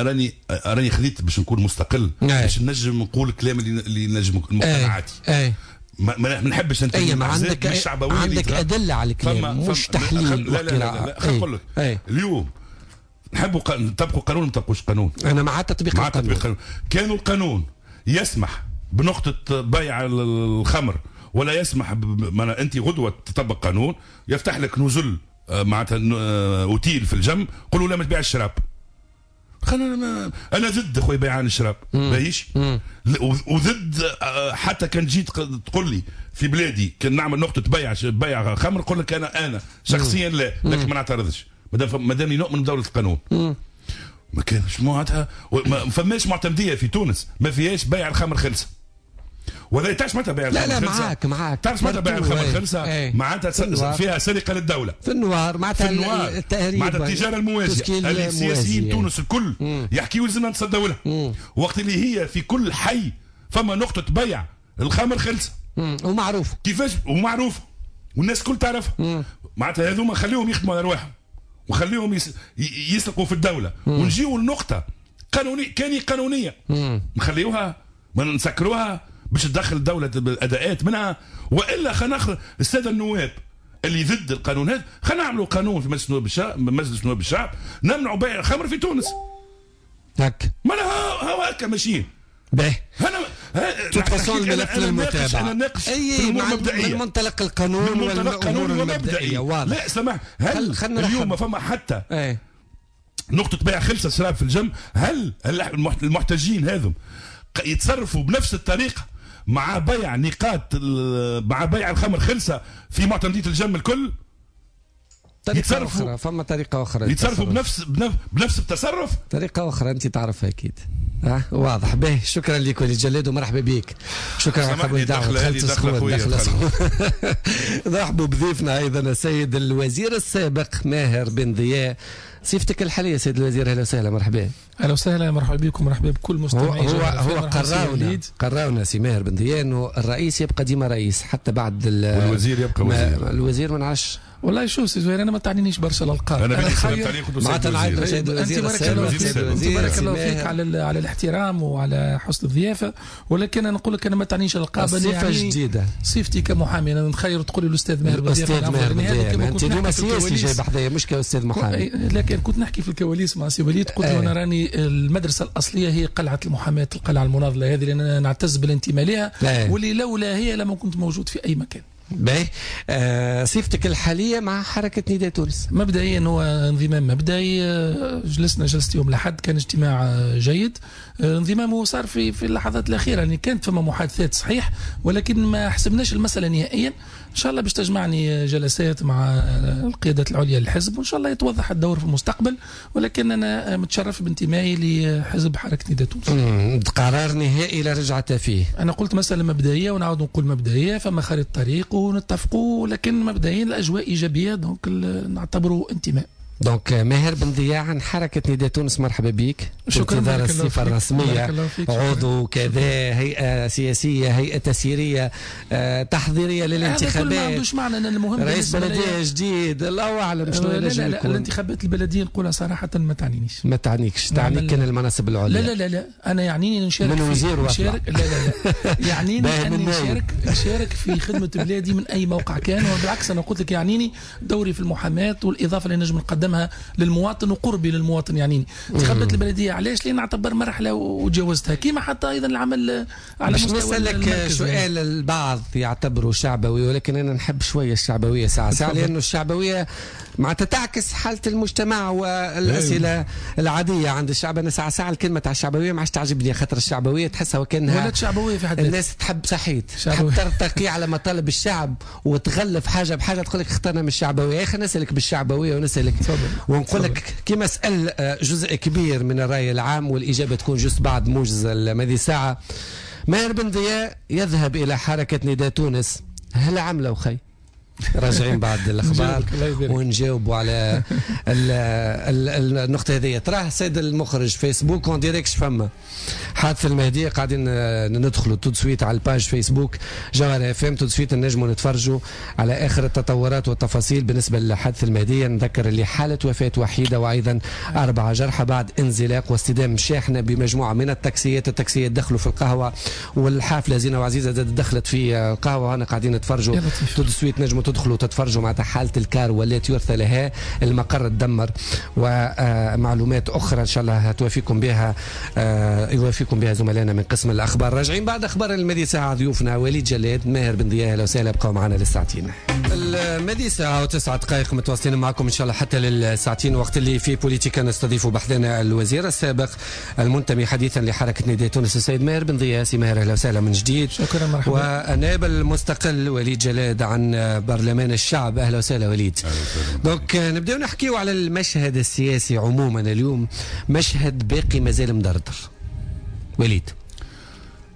راني راني خذيت باش نكون مستقل، باش نجم نقول الكلام اللي نجم مقتنعاتي. ما نحبش انت ما عندك ادلة على الكلام، مش تحليل. لا لا لا، خلينا نقول لك اليوم نحبوا نطبقوا قانون، ما نطبقوش قانون. انا مع تطبيق القانون. كانوا القانون يسمح بنقطة بيع الخمر ولا يسمح انت غدوة تطبق قانون يفتح لك نزل معناتها اوتيل في الجنب، قولوا لا ما تبيع الشراب. خلينا انا ضد خويا بيعان الشراب، باهيش، وضد حتى كان جيت تقول لي في بلادي كان نعمل نقطة بيع خمر، نقول لك انا شخصيا لا، لكن ما نعترضش ما دام نؤمن بدولة القانون. ما كانش معناتها ما فماش معتمديه في تونس ما فيهاش بيع الخمر خلسه. ولا تعرف معناتها بيع الخمر لا لا خلسة؟ معاك معاك. تعرف معناتها بيع الخمر خلسه؟ معناتها فيها سرقه للدولة في النوار، معناتها التهريب، معناتها التجارة الموازيه اللي السياسيين تونس الكل يحكيوا لازمنا نتصدوا لها. وقت اللي هي في كل حي فما نقطة بيع الخمر خلسه. ومعروف كيفاش ومعروف والناس الكل تعرفها. معناتها هذوما خليهم يخدموا على رواحهم وخليهم يسرقوا في الدولة. ونجيو لنقطة قانونية كان قانونية نخليوها ما نسكروها باش تدخل الدولة الاداءات منها، والا خلينا ناخذ السادة النواب اللي ضد القانون هذا، خلينا نعملوا قانون في مجلس نواب الشعب، مجلس نواب الشعب نمنعوا بيع الخمر في تونس. هك ما هو هكا ماشيين. باهي انا تفصل الملف للمتابعة. انا ناقش من منطلق القانون والامور المبدئية. واضح. لا سمح، هل اليوم ما فما حتى نقطة بيع خلصه شراب في الجم؟ هل المحتجين هذم يتصرفوا بنفس الطريقة مع بيع نقاط، مع بيع الخمر خلصه في معتمديه الجم الكل؟ طريقة أخرى، فما طريقة أخرى يتصرفوا بنفس التصرف، طريقة أخرى أنت تعرفها أكيد. واضح. به شكرا لك وليد جلاد ومرحبا بك. شكرا على قبول الدعوة. دخلت سخون. نرحبوا بضيفنا أيضا السيد الوزير السابق ماهر بن ضياء. صفتك الحالية سيد الوزير، أهلا وسهلا، مرحبا. أهلا وسهلا، مرحبا بكم، مرحبا بكل مستمعي. هو قراونا سي ماهر بن ضياء أنه الرئيس يبقى ديما رئيس حتى بعد والوزير يبقى وزير. الوزير ما نعرفش والله. شوف سي زهير، انا ما تعنينيش برشا الالقاب. انا معناتها نعيط سيد الوزير. انت بارك الله فيك على الاحترام وعلى حسن الضيافة، ولكن انا نقول لك انا ما تعنيش الالقاب. صفة جديدة صفتي كمحامي، انا نخير تقول لي الاستاذ ماهر بن ضياء. الاستاذ ماهر بن ضياء انت اليوم سياسي جاي بحذايا مش كاستاذ محامي. لكن كنت نحكي في الكواليس مع سي وليد، قلت له انا راني المدرسة الاصلية هي قلعه المحاماة، القلعة المناضلة هذه اللي انا نعتز بالانتماء لها، واللي لولا هي لما كنت موجود في اي مكان. باهي. صفتك الحالية مع حركة نداء تونس؟ مبدئيا هو انضمام مبدئي. جلسنا جلسة يوم الأحد، كان اجتماع جيد. انضمامه صار في اللحظات الأخيرة، يعني كانت فما محادثات صحيح، ولكن ما حسبناش المسألة نهائيا. إن شاء الله باش تجمعني جلسات مع القيادات العليا للحزب، وإن شاء الله يتوضح الدور في المستقبل، ولكن أنا متشرف بانتمائي لحزب حركة نداء تونس. قرار نهائي لا رجعة فيه. أنا قلت مسألة مبدئية ونعاود نقول مبدئية، فما خارج الطريق ونتفقوا، ولكن مبدئيا الأجواء إيجابية، donc نعتبره انتماء. donc ماهر بن ضياء عن حركة نداء تونس، مرحبا بك. شكرا. انتظار الصفة الرسمية، عضو كذا، هيئة سياسية، هيئة تسييرية، تحضيرية للانتخابات. هذا ما عندوش معنى. أن المهم رئيس بلدية جديد، الله أعلم شنو ينجم يكون. الانتخابات البلدية نقولها صراحة ما تعنينيش. ما تعنيكش، تعنيك كان المناصب العليا. لا لا لا لا، أنا يعنيني نشارك من وزير نشارك. لا لا لا، يعنيني أني نشارك في خدمة بلادي من أي موقع كان، وبالعكس أنا قلت لك يعنيني دوري في المحاماة والإضافة اللي نجم نقدمها للمواطن وقربي للمواطن. يعنيني انتخابات البلدية علاش؟ لان نعتبر مرحلة وتجاوزتها، كيما حتى ايضا العمل على مستوى نسألك سؤال البعض يعتبره شعبوي، ولكن انا نحب شوية الشعبوية ساعة ساعة، لانه الشعبوية معناتها تعكس حاله المجتمع والاسئلة العادية عند الشعب. انا ساعة ساعة الكلمة تاع الشعبوية ما عادش تعجبني، خاطر الشعبوية تحسها وكانها ولات شعبويه في حد الناس تحب صحيت تحب ترتقي على مطالب الشعب وتغلف حاجة بحاجة، تقول لك اخترنا من الشعبوية. يا اخي نسالك بالشعبويه ونسالك ونقول لك كما سأل جزء كبير من الرأي العام، والإجابة تكون جزء بعد موجز هذه الساعة. ماهر بن ضياء يذهب إلى حركة نداء تونس، هل عملوا خي؟ راجعين بعد الأخبار ونجاوبوا على النقطة هذه. تراه السيد المخرج فيسبوك en direct فما حادث المهدية، قاعدين ندخلوا tout de suite على ال page فيسبوك جوهرة اف ام، tout de suite نجموا نتفرجوا على آخر التطورات والتفاصيل بالنسبة لحادث المهدية. نذكر اللي حالة وفاة وحيدة وأيضا 4 جرحى بعد انزلاق واصطدام شاحنة بمجموعة من التاكسيات. التاكسيات دخلوا في القهوة والحافلة زينة وعزيزة دخلت في القهوة، أنا قاعدين نتفرجوا tout de suite نجموا تدخلوا تتفرجوا مع حالة الكار والتي يرثى لها، المقر تدمر، ومعلومات أخرى إن شاء الله توافيكم بها يوافيكم بها زملائنا من قسم الأخبار. راجعين بعد أخبار الماضي ساعة ضيوفنا وليد جلاد، ماهر بن ضياء، أهلا وسهلا، بقوا معنا للساعتين. الماضي ساعة و9 دقائق متواصلين معكم إن شاء الله حتى للساعتين، وقت اللي في بوليتيكا نستضيف بحثنا الوزير السابق المنتمي حديثا لحركة نداء تونس السيد ماهر بن ضياء. سي ماهر أهلا وسهلا من جديد. شكرا، مرحبا. والنائب المستقل وليد جلاد عن برلمان الشعب، أهلا وسهلا وليد. donc نبداو نحكيو على المشهد السياسي عموما اليوم، مشهد باقي مازال مدردر. وليد،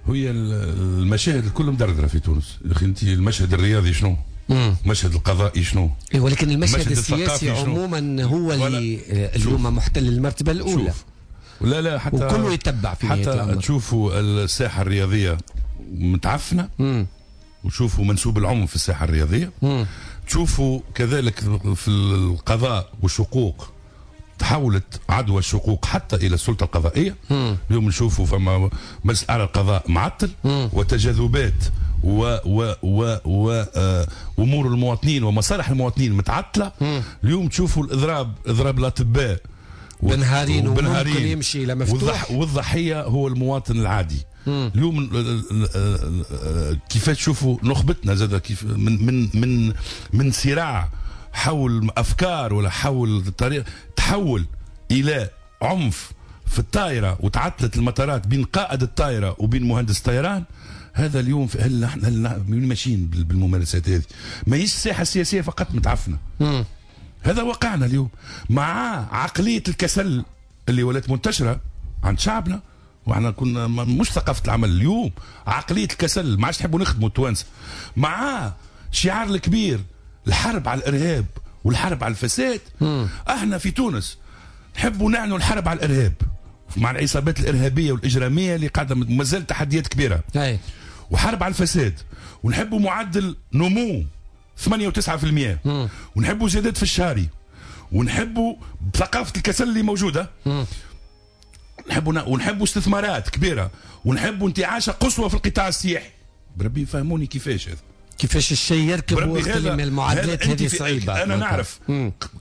هي المشاهد الكل مدردره في تونس. يا اخي انت المشهد الرياضي شنو؟ المشهد القضائي شنو؟ ولكن المشهد السياسي عموما هو اللي اليوم محتل المرتبة الاولى. شوف. لا لا، حتى وكله يتبع في حتى تشوفوا الساحة الرياضية متعفنه. وشوفوا منسوب العنف في الساحة الرياضية. تشوفوا كذلك في القضاء والشقوق، تحولت عدوى الشقوق حتى الى السلطة القضائية. اليوم نشوفوا فما مجلس اعلى القضاء معطل وتجاذبات و و و و امور المواطنين ومصالح المواطنين متعطلة. اليوم تشوفوا الاضراب، اضراب الاطباء بنهارين وممكن يمشي لمفتوح، والضحيه هو المواطن العادي. اليوم كيفاش تشوفوا نخبتنا زاد كيف من من من من صراع حول افكار ولا حول الطريق تحول الى عنف في الطائرة، وتعطلت المطارات بين قائد الطائرة وبين مهندس الطيران. هذا اليوم هل نحن ماشيين بالممارسات هذه؟ ماهيش الساحة السياسية فقط متعفنه. هذا واقعنا اليوم مع عقلية الكسل اللي ولات منتشرة عند شعبنا، واحنا كنا مش ثقافة العمل. اليوم عقلية الكسل ما عادش نحبوا نخدموا التوانسة، مع شعار الكبير الحرب على الارهاب والحرب على الفساد. احنا في تونس نحبوا نعلنوا الحرب على الارهاب مع العصابات الارهابية والاجراميه اللي قاعدة مازال تحديات كبيرة. وحرب على الفساد، ونحبوا معدل نمو 8 و9%، ونحبوا زيادات في الشهري، ونحبوا ثقافة الكسل اللي موجودة، ونحبوا استثمارات كبيرة، ونحبوا انتعاشه قصوى في القطاع السياحي. بربي فهموني كيفاش هذا، كيفاش الشيء يركب وقت اللي المعادلات هذه صعيبة. انا نعرف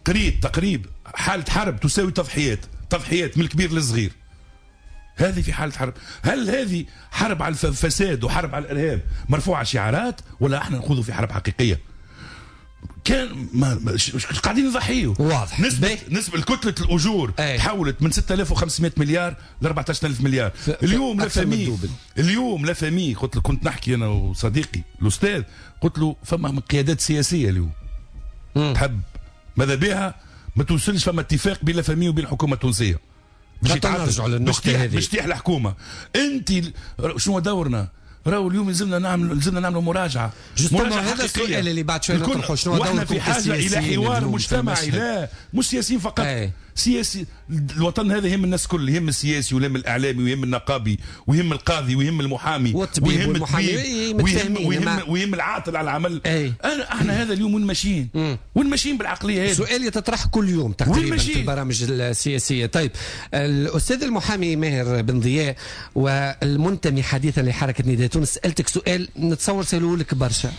قريت تقريب حاله حرب تساوي تضحيات، تضحيات من الكبير للصغير. هذه في حاله حرب. هل هذه حرب على الفساد وحرب على الارهاب مرفوعة شعارات، ولا احنا نخوضوا في حرب حقيقية؟ كان ما قاعدين نضحيوا. واضح. نسبة كتلة الأجور تحولت من 6500 مليار ل 14000 مليار. اليوم le FMI، اليوم le FMI، قلت له كنت نحكي أنا وصديقي الأستاذ، قلت له فما من قيادات سياسية اليوم تحب ماذا بها ما توصلش فما اتفاق بين le FMI وبين الحكومة التونسية باش نرجعوا للنقطة هذه، باش تيح الحكومة. أنت شنو دورنا؟ راهو اليوم لازمنا نعملوا مراجعه. مراجعه هذا السؤال اللي بعد شوية نطرحه، شنو دوركم في حاجة الى حوار مجتمعي، لا مش سياسيين فقط. سياسي الوطن هذا يهم الناس الكل، يهم السياسي ويهم الاعلامي ويهم النقابي ويهم القاضي ويهم المحامي والطبيب والمحامي ويهم العاطل على العمل. انا احنا هذا اليوم وين ماشيين؟ وين ماشيين بالعقليه هذه؟ سؤال يتطرح كل يوم تقريبا في البرامج السياسية. طيب الاستاذ المحامي ماهر بن ضياء والمنتمي حديثا لحركة نداء تونس، سالتك سؤال نتصور سالوه لك برشا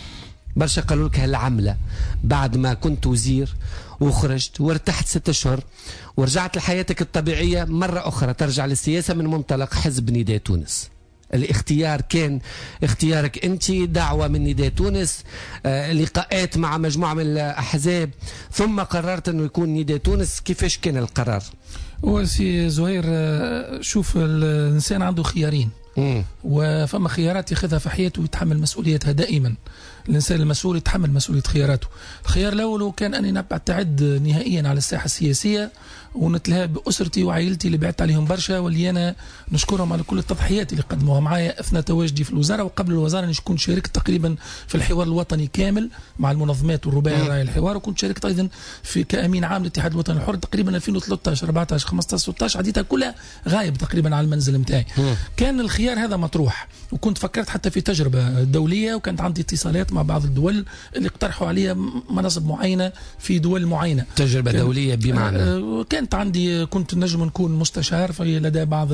برشا، قالوا لك هالعملة بعد ما كنت وزير وخرجت وارتحت 6 أشهر ورجعت لحياتك الطبيعية مرة أخرى ترجع للسياسة من منطلق حزب نداء تونس، الاختيار كان اختيارك أنت، دعوة من نداء تونس، لقاءات مع مجموعة من الأحزاب، ثم قررت أنه يكون نداء تونس. كيفاش كان القرار؟ هو سي زهير، شوف الإنسان عنده خيارين، وفما خيارات ياخذها في حياته ويتحمل مسؤوليتها دائما. الإنسان المسؤول يتحمل مسؤولية خياراته. الخيار الأول كان أني نبتعد نهائيا على الساحة السياسية ونتلهى بأسرتي وعائلتي اللي بعدت عليهم برشا، واللي أنا نشكرهم على كل التضحيات اللي قدموها معايا أثناء تواجدي في الوزارة وقبل الوزارة. أنا كنت شاركت تقريبا في الحوار الوطني كامل مع المنظمات والرباعي راعي الحوار، وكنت شاركت أيضا في كأمين عام للاتحاد الوطني الحر تقريبا 2013 14 15 16، عديتها كلها غايب تقريبا على المنزل نتاعي. كان الخيار هذا مطروح، وكنت فكرت حتى في تجربة دولية، وكانت عندي اتصالات مع بعض الدول اللي اقترحوا عليا مناصب معينة في دول معينة. تجربة دولية بمعنى؟ كانت عندي، كنت نجم نكون مستشار في لدى بعض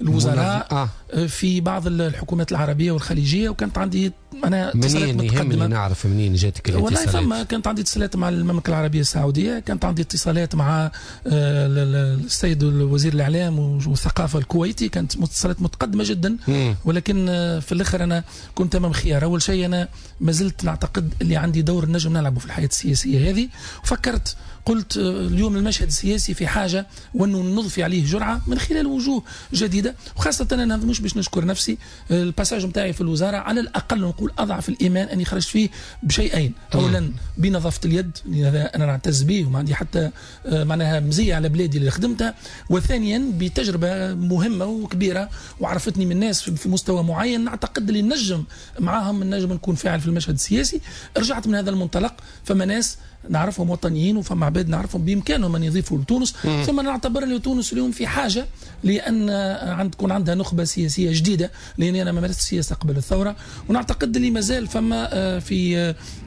الوزراء في بعض الحكومات العربية والخليجية، وكانت عندي أنا اتصالات متقدمة. يهمني نعرف منين جاتك الاتصالات. والله فما كانت عندي اتصالات مع المملكة العربية السعودية، كانت عندي اتصالات مع السيد الوزير الإعلام والثقافة الكويتي، كانت اتصالات متقدمة جدا. ولكن في الآخر أنا كنت أمام خيار. أول شيء أنا ما زلت نعتقد اللي عندي دور نجم نلعبه في الحياة السياسية هذه، وفكرت قلت اليوم المشهد السياسي في حاجة وأنه نضفي عليه جرعة من خلال وجوه جديدة، وخاصة أنا مش باش نشكر نفسي، ال passage نتاعي في الوزارة على الأقل نقول أضعف الإيمان أني خرجت فيه بشيئين. أولا بنظافة اليد، هذا أنا نعتز به وما عندي حتى معناها مزية على بلادي اللي خدمتها، وثانيا بتجربة مهمة وكبيرة وعرفتني من الناس في مستوى معين نعتقد اللي نجم معاهم نجم نكون فاعل في المشهد السياسي. رجعت من هذا المنطلق، فما ناس نعرفهم وطنيين وفما عباد نعرفهم بامكانهم ان يضيفوا لتونس. ثم نعتبر ان تونس اليوم في حاجة لان تكون عندها نخبة سياسية جديدة، لاني انا ما مارست السياسة قبل الثورة، ونعتقد اللي مازال فما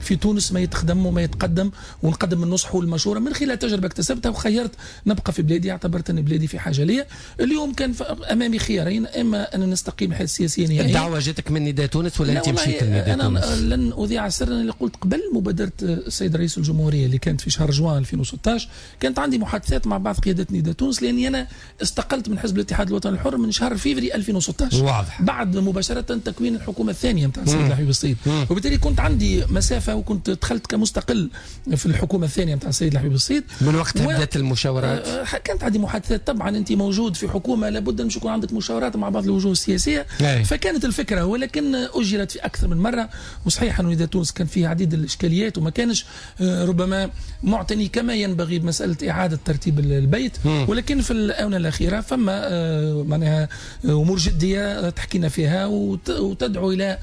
في تونس ما يتخدم وما يتقدم، ونقدم النصح والمشورة من خلال تجربه اكتسبتها، وخيرت نبقى في بلادي، اعتبرت ان بلادي في حاجة ليا. اليوم كان امامي خيارين، اما ان نستقيم الحياة السياسية نهائيا. الدعوة جاتك من نداء تونس ولا انت مشيت لنداء تونس؟ انا لن اذيع سرا اللي قلت قبل مبادرة السيد رئيس الجمهورية اللي كانت في شهر جوان 2016، كانت عندي محادثات مع بعض قيادات نداء تونس، لاني انا استقلت من حزب الاتحاد الوطني الحر من شهر فيفري 2016، واضح، بعد مباشرة تكوين الحكومة الثانية نتاع السيد الحبيب الصيد، وبالتالي كنت عندي مسافة وكنت دخلت كمستقل في الحكومة الثانية نتاع السيد الحبيب الصيد. من وقتها بدات المشاورات؟ كانت عندي محادثات طبعا، انت موجود في حكومة لابد ان يكون عندك مشاورات مع بعض الوجوه السياسية. فكانت الفكرة، ولكن اجلت في اكثر من مرة. وصحيح انه نداء تونس كان فيه عديد الاشكاليات وما كانش ربما معتني كما ينبغي بمسألة إعادة ترتيب البيت، ولكن في الآونة الأخيرة فما معناها أمور جدية تحكينا فيها وتدعو إلى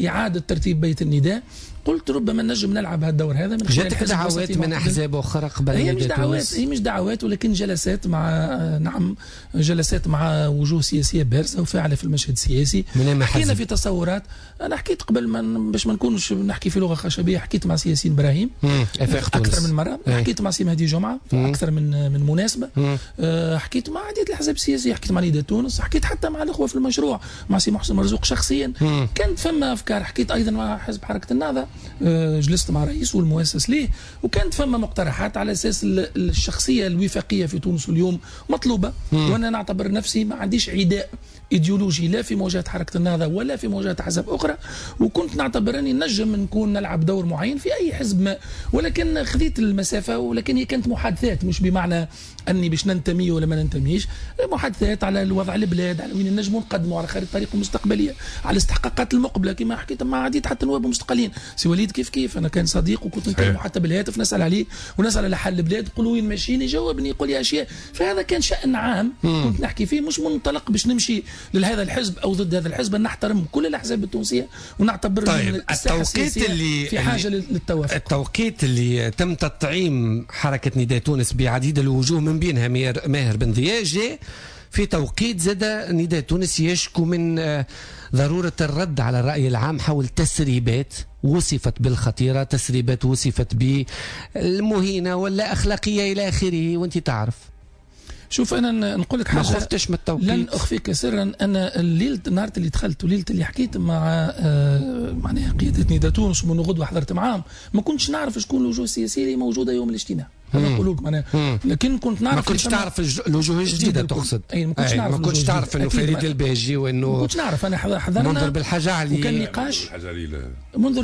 إعادة ترتيب بيت النداء. قلت ربما نجم نلعب هالدور هذا من خلال جاتك دعوات من احزاب اخرى قبل؟ هي مش دعوات، هي مش دعوات، ولكن جلسات مع، نعم جلسات مع وجوه سياسية بارزة وفاعله في المشهد السياسي. حكينا في تصورات، انا حكيت قبل ما باش ما نكونش نحكي في لغة خشبيه، حكيت مع سي ياسين ابراهيم اكثر من مرة، حكيت مع سي مهدي جمعه في اكثر من مناسبة، حكيت مع عديد الاحزاب السياسية، حكيت مع نداء تونس، حكيت حتى مع الاخوة في المشروع، مع سي محسن مرزوق شخصيا. كانت فما افكار، حكيت ايضا مع حزب حركة النهضة، جلست مع رئيسه والمؤسس ليه، وكانت فما مقترحات على اساس الشخصية الوفاقيه في تونس اليوم مطلوبه. وانا نعتبر نفسي ما عنديش عداء ايديولوجي لا في مواجهة حركة النهضة ولا في مواجهة احزاب اخرى، وكنت نعتبر اني نجم نكون نلعب دور معين في اي حزب ما، ولكن خذيت المسافة. ولكن هي كانت محادثات، مش بمعنى اني باش ننتمي ولا ما ننتميش، محادثات على الوضع البلاد، على وين نجموا نقدموا، على خريطة الطريق المستقبلية، على الاستحقاقات المقبلة، كما حكيت مع عديد حتى نواب مستقلين. سي وليد كيف كيف، انا كان صديق وكنت نكلمه حتى بالهاتف نسال عليه ونسال على حل البلاد، نقول وين ماشيين، يجاوبني يقول لي اشياء. فهذا كان شان عام كنت نحكي فيه، مش منطلق باش نمشي لهذا الحزب او ضد هذا الحزب. نحترم كل الاحزاب التونسية ونعتبر طيب التوقيت اللي في حاجة للتوافق. التوقيت اللي تم تطعيم حركة نداء تونس بعديد الوجوه من بينها ماهر بن ضياء جاء في توقيت زاد نداء تونس يشكو من ضرورة الرد على الرأي العام حول تسريبات وصفت بالخطيرة، تسريبات وصفت بالمهينة ولا أخلاقية إلى آخره، وأنت تعرف. شوف انا نقول لك حاجة، ما خفتش من التوقيت؟ لن اخفيك سرا، انا الليلة النهار اللي دخلت وليلة اللي حكيت مع معناها قيادة نداء تونس ومن غدوه حضرت معاهم، ما كنتش نعرف شكون الوجوه السياسية اللي موجودة يوم الاجتماع. انا نقول لك معناها، لكن كنت نعرف. ما كنتش تعرف الوجوه الجديدة تقصد؟ اي ما كنتش نعرف، ما كنتش تعرف انه فريد الباجي وانه ما كنتش نعرف. انا حضرنا منذر بالحاج علي وكان نقاش، منذر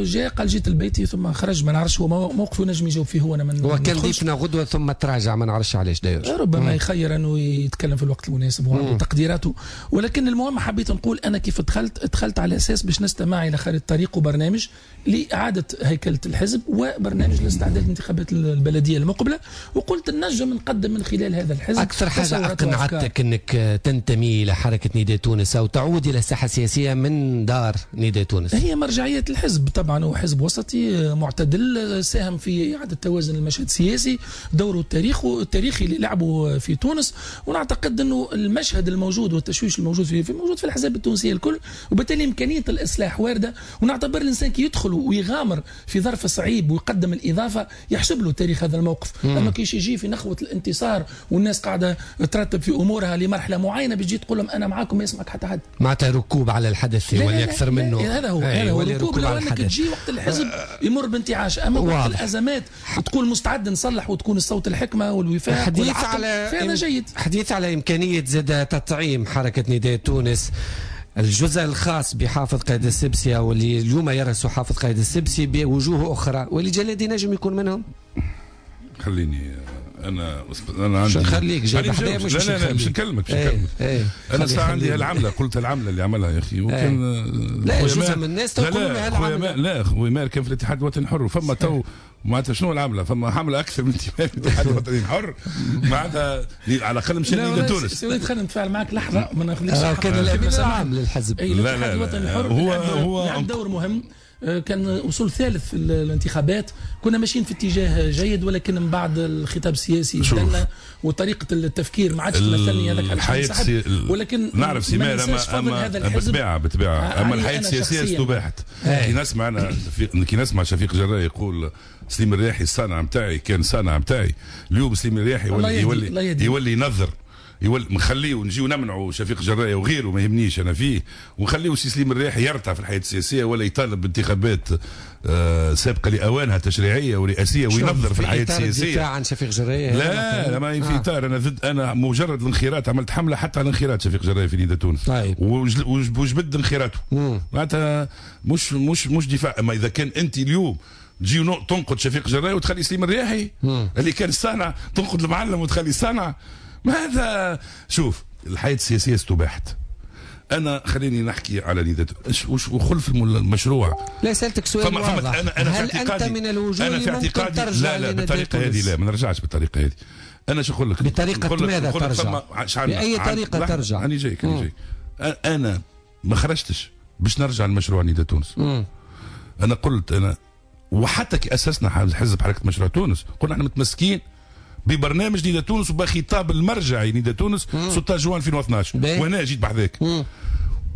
جاء قال جيت لبيتي ثم خرج، ما نعرفش هو موقفه نجم يجاوب فيه هو. انا من هو كان ضيفنا غدوه ثم تراجع، ما نعرفش علاش داير، ربما يخير انه يتكلم في الوقت المناسب وعنده تقديراته. ولكن المهم حبيت نقول انا كيف دخلت على اساس باش نستمع الى خريطة طريق وبرنامج لاعادة هيكله الحزب وبرنامج لاستعداد الانتخابات البلدية المقبلة، وقلت نجم نقدم من خلال هذا الحزب. اكثر حاجة اقنعتك انك تنتمي الى حركة نداء تونس او تعود الى الساحة السياسية من دار نداء تونس؟ هي مرجعية الحزب طبعا، هو حزب وسطي معتدل، ساهم في اعاده توازن المشهد السياسي، دوره التاريخي اللي لعبه في تونس. ونعتقد انه المشهد الموجود والتشويش الموجود في موجود في الاحزاب التونسية الكل، وبالتالي امكانية الاصلاح وارده. ونعتبر الانسان كي يدخل ويغامر في ظرف صعيب ويقدم الاضافة يحسب له تاريخ هذا الموقف. اما كيش يجي في نخوه الانتصار والناس قاعدة ترتب في امورها لمرحلة معينة، بتجي تقول لهم انا معاكم ما يسمعك حتى حد. معناتها ركوب على الحدث يولي اكثر منه. هذا هو، هذا هو ركوب. لو انك تجي وقت الحزب يمر بانتعاش، اما وقت الازمات تكون مستعد نصلح وتكون الصوت الحكمة والوفاق حديث على فهذا جيد. حديث على امكانية زاد تطعيم حركة نداء تونس الجزء الخاص بحافظ قائد السبسي او اللي اليوم يرأس حافظ قائد السبسي بوجوه اخرى، واللي جلادي نجم يكون منهم. خليني انا عندي نخليك جاي بحذايا، مش لا لا مش نكلمك، مش نكلمك. انا ساعة عندي هالعمله، قلت العملة اللي عملها يا اخي، وكان لا جزء من الناس تقول هالعمله. لا خويا ماهر كان في الاتحاد الوطني الحر، وفما تو معناتها شنو العملة؟ فما حمله اكثر من انتماء في الاتحاد الوطني الحر، معناتها على الاقل مشى لنداء تونس. سي وليد خلينا نتفاعل معك لحظة، ما ناخذش كان الامين العام للحزب. لا لا، الوطني الحر هو لعب دور مهم كان وصول ثالث في الانتخابات، كنا ماشيين في اتجاه جيد، ولكن من بعد الخطاب السياسي بدلنا وطريقه التفكير ما عادش تمثلني، هذاك الحياة. ولكن نعرف سي اما بالطبيعة اما الحياة السياسية استباحت. كي نسمع انا كي نسمع شفيق جراي يقول سليم الرياحي الصانع نتاعي كان صانع نتاعي، اليوم سليم الرياحي يولي ينظر، يولي نخليه ونجيو نمنعوا شفيق جرايه وغيره ما يهمنيش انا فيه، ونخليه سي سليم الرياحي يرتع في الحياة السياسية ولا يطالب بانتخابات سابقه لاوانها تشريعية ورئاسيه وينظر في الحياة السياسية. دفاع عن شفيق جرايه؟ لا لا ما في اطار، انا ضد، انا مجرد الانخراط عملت حمله حتى على الانخراط شفيق جرايه في نداء تونس. طيب. وجبد انخراطه معناتها مش دفاع. اما اذا كان انت اليوم تجي تنقد شفيق جرايه وتخلي سليم الرياحي اللي كان الصانع، تنقد المعلم وتخلي الصانع، ماذا؟ شوف الحياة السياسية استباحت. أنا خليني نحكي على نداء وخلف المشروع. لا سألتك سؤال واضح. أنا هل أنت من الوجوه اللي ممكن ترجع؟ لا لا بالطريقة هذه لا، ما نرجعش بالطريقة هذه. أنا شو نقول لك؟ بطريقة ماذا ترجع؟ بأي طريقة ترجع؟ أنا جايك أنا جايك. أنا ما خرجتش باش نرجع لمشروع نداء تونس. أنا قلت أنا وحتى كي أسسنا حزب حركة مشروع تونس قلنا احنا متمسكين ببرنامج نداء تونس وبخطاب المرجعي نداء تونس 16 جوان 2012 وانا جيت بحذاك.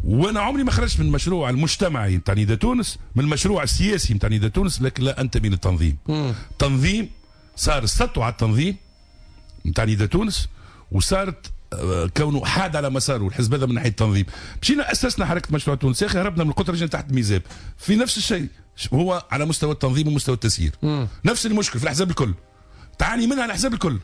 وانا عمري ما خرجت من المشروع المجتمعي نتاع نداء تونس، من المشروع السياسي نتاع نداء تونس، لكن لا انتمي للتنظيم. تنظيم صار السطو على التنظيم نتاع نداء تونس، وصارت كونه حاد على مساره الحزب هذا من ناحية التنظيم. مشينا اسسنا حركة مشروع تونس، يا اخي هربنا من القطر رجعنا تحت ميزاب في نفس الشيء، هو على مستوى التنظيم ومستوى التسيير. نفس المشكل في الاحزاب الكل، تعاني منها الاحزاب الكل.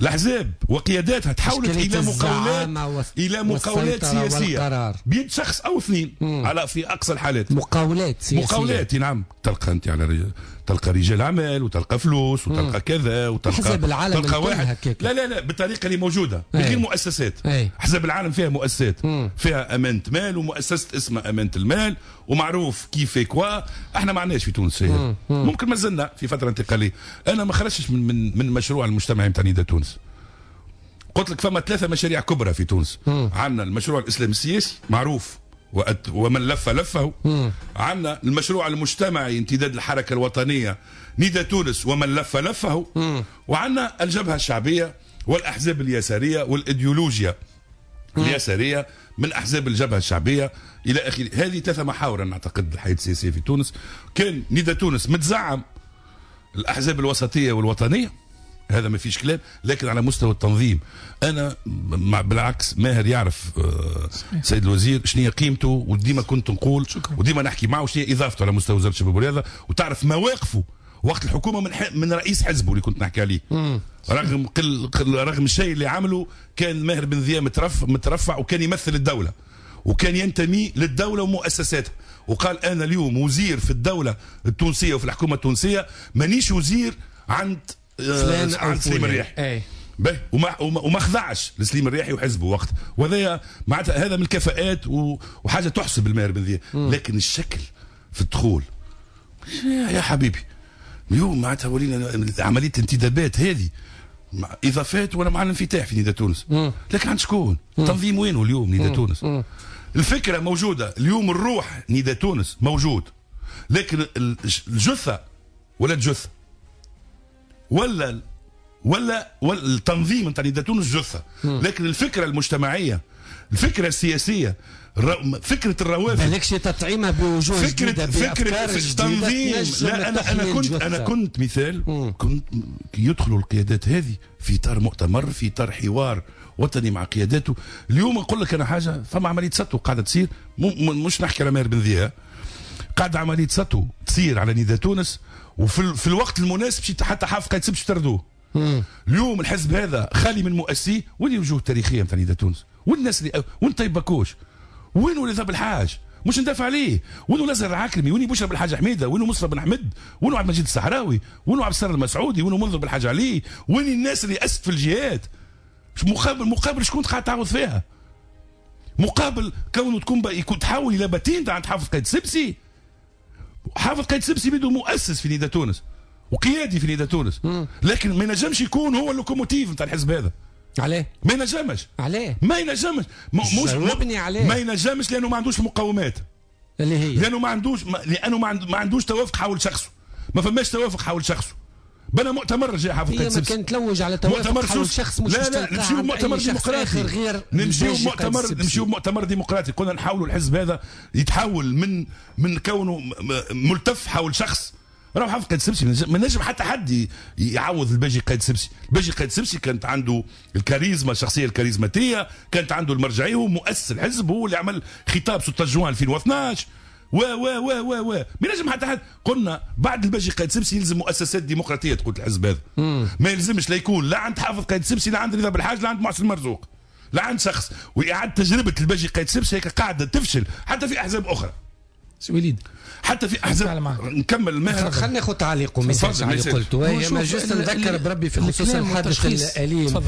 الاحزاب وقياداتها تحولت الى مقاولات، الى مقاولات سياسية بيد شخص او اثنين على في اقصى الحالات. مقاولات سياسية، مقاولات نعم. تلقى انت على رجال، تلقى رجال اعمال وتلقى فلوس وتلقى كذا وتلقى احزاب العالم تلقى واحد. لا لا لا بالطريقة اللي موجودة بغير مؤسسات. احزاب العالم فيها مؤسسات، فيها امانه مال ومؤسسة اسمها امانه المال ومعروف كيف كوا. احنا ما عندناش في تونس هذا. ممكن ما زلنا في فترة انتقالية. انا ما خرجتش من مشروع المجتمعي نتاع نداء تونس. قلت لك فما 3 مشاريع كبرى في تونس. عندنا المشروع الاسلامي السياسي معروف ومن لف لفه. عندنا المشروع المجتمعي امتداد الحركة الوطنية نداء تونس ومن لف لفه. وعندنا الجبهة الشعبية والاحزاب اليسارية والايديولوجيا اليسارية من احزاب الجبهة الشعبية الى اخره. هذه 3 محاور نعتقد الحياة السياسية في تونس. كان نداء تونس متزعم الاحزاب الوسطية والوطنيه، هذا ما فيش كلام، لكن على مستوى التنظيم انا بالعكس ماهر يعرف سيد الوزير شنو هي قيمته، وديما كنت نقول وديما نحكي معه شنو هي اضافته على مستوى وزارة الشباب والرياضة، وتعرف مواقفه وقت الحكومة من رئيس حزبه اللي كنت نحكي عليه. رغم رغم الشيء اللي عمله كان ماهر بن ذياب مترفع وكان يمثل الدولة وكان ينتمي للدولة ومؤسساتها، وقال انا اليوم وزير في الدولة التونسية وفي الحكومة التونسية، مانيش وزير عند عند سليم الرياحي. باهي، وما خضعش لسليم الرياحي وحزبه وقت، وهذا معناتها هذا من الكفاءات وحاجه تحسب الماهر بن ذياب. لكن الشكل في الدخول يا حبيبي اليوم معناتها ولينا عملية الانتدابات هذه اضافات وانا مع الانفتاح في نداء تونس، لكن عند شكون؟ التنظيم وينه اليوم نداء تونس؟ الفكرة موجودة اليوم، الروح نداء تونس موجود، لكن الجثة ولا الجثة ولا ولا التنظيم نتاع نداء تونس جثة، لكن الفكرة المجتمعية، الفكرة السياسية، فكرة الروافد مالكش تطعيمها بوجوه جديدة، فكرة التنظيم. لا انا كنت مثال، كنت يدخلوا القيادات هذه في اطار مؤتمر، في اطار حوار وطني مع قياداته. اليوم نقول لك انا حاجة، فما عملية سطو قاعدة تصير، مش نحكي على ماهر بن ذياب، قاعدة عملية سطو تصير على نداء تونس، وفي الوقت المناسب حتى حافظ قايد سبش تردوه. اليوم الحزب هذا خالي من مؤسسيه، وين الوجوه التاريخية نتاع نداء تونس؟ وين الناس اللي وين طيب بكوش؟ وين وليد بالحاج؟ مش ندافع عليه. وينو الازهر العكرمي؟ وين بشرى بالحاج حميده؟ وينو مصطفى بن حمد؟ وينو عبد المجيد الصحراوي؟ وينو عبد الستار المسعودي؟ وينو منذر بالحاج علي؟ وين الناس اللي اسست في الجهات؟ مقابل شكون قاعد تعوض فيها؟ مقابل كونه تكون يكون تحول الى باتين عند حافظ قايد سبسي. حافظ قايد سبسي بيدو مؤسس في نداء تونس وقيادي في نداء تونس، لكن ما ينجمش يكون هو ال locomotive نتاع الحزب هذا. عليه؟ ما ينجمش. عليه؟ ما ينجمش. مش عليه. ما ينجمش لانه ما عندوش مقومات. اللي هي لانه ما عندوش لانه ما عندوش توافق حول شخصه، ما فماش توافق حول شخصه. بنى مؤتمر جاء حافظ قايد السبسي، كان تلوج على توافق حول شخص مش لا لا، نمشيو مؤتمر ديمقراطي غير نمشيو مؤتمر ديمقراطي. كنا نحاولوا الحزب هذا يتحول من كونه ملتف حول شخص. راهو حافظ قايد السبسي ما نجم حتى حد يعوض الباجي قايد السبسي. الباجي قايد السبسي كانت عنده الكاريزما، الشخصية الكاريزماتيه، كانت عنده المرجعية، هو مؤسس الحزب، هو اللي عمل خطاب 16 جوان 2012 و و و و و ما نجم حتى حد. قلنا بعد الباجي قايد السبسي يلزم مؤسسات ديمقراطية تقود الحزب هذا. ما يلزمش لا يكون لا عند حافظ قايد السبسي، لا عند رضا بالحاج، لا عند محسن مرزوق، لا عند شخص. واعاده تجربه الباجي قايد السبسي هيك قاعدة تفشل حتى في احزاب اخرى. سي وليد حتى في احزاب نكمل ماهر، خلينا ناخذ تعليقه message على اللي قلته. ما juste نذكر بربي في خصوص الحادث الاليم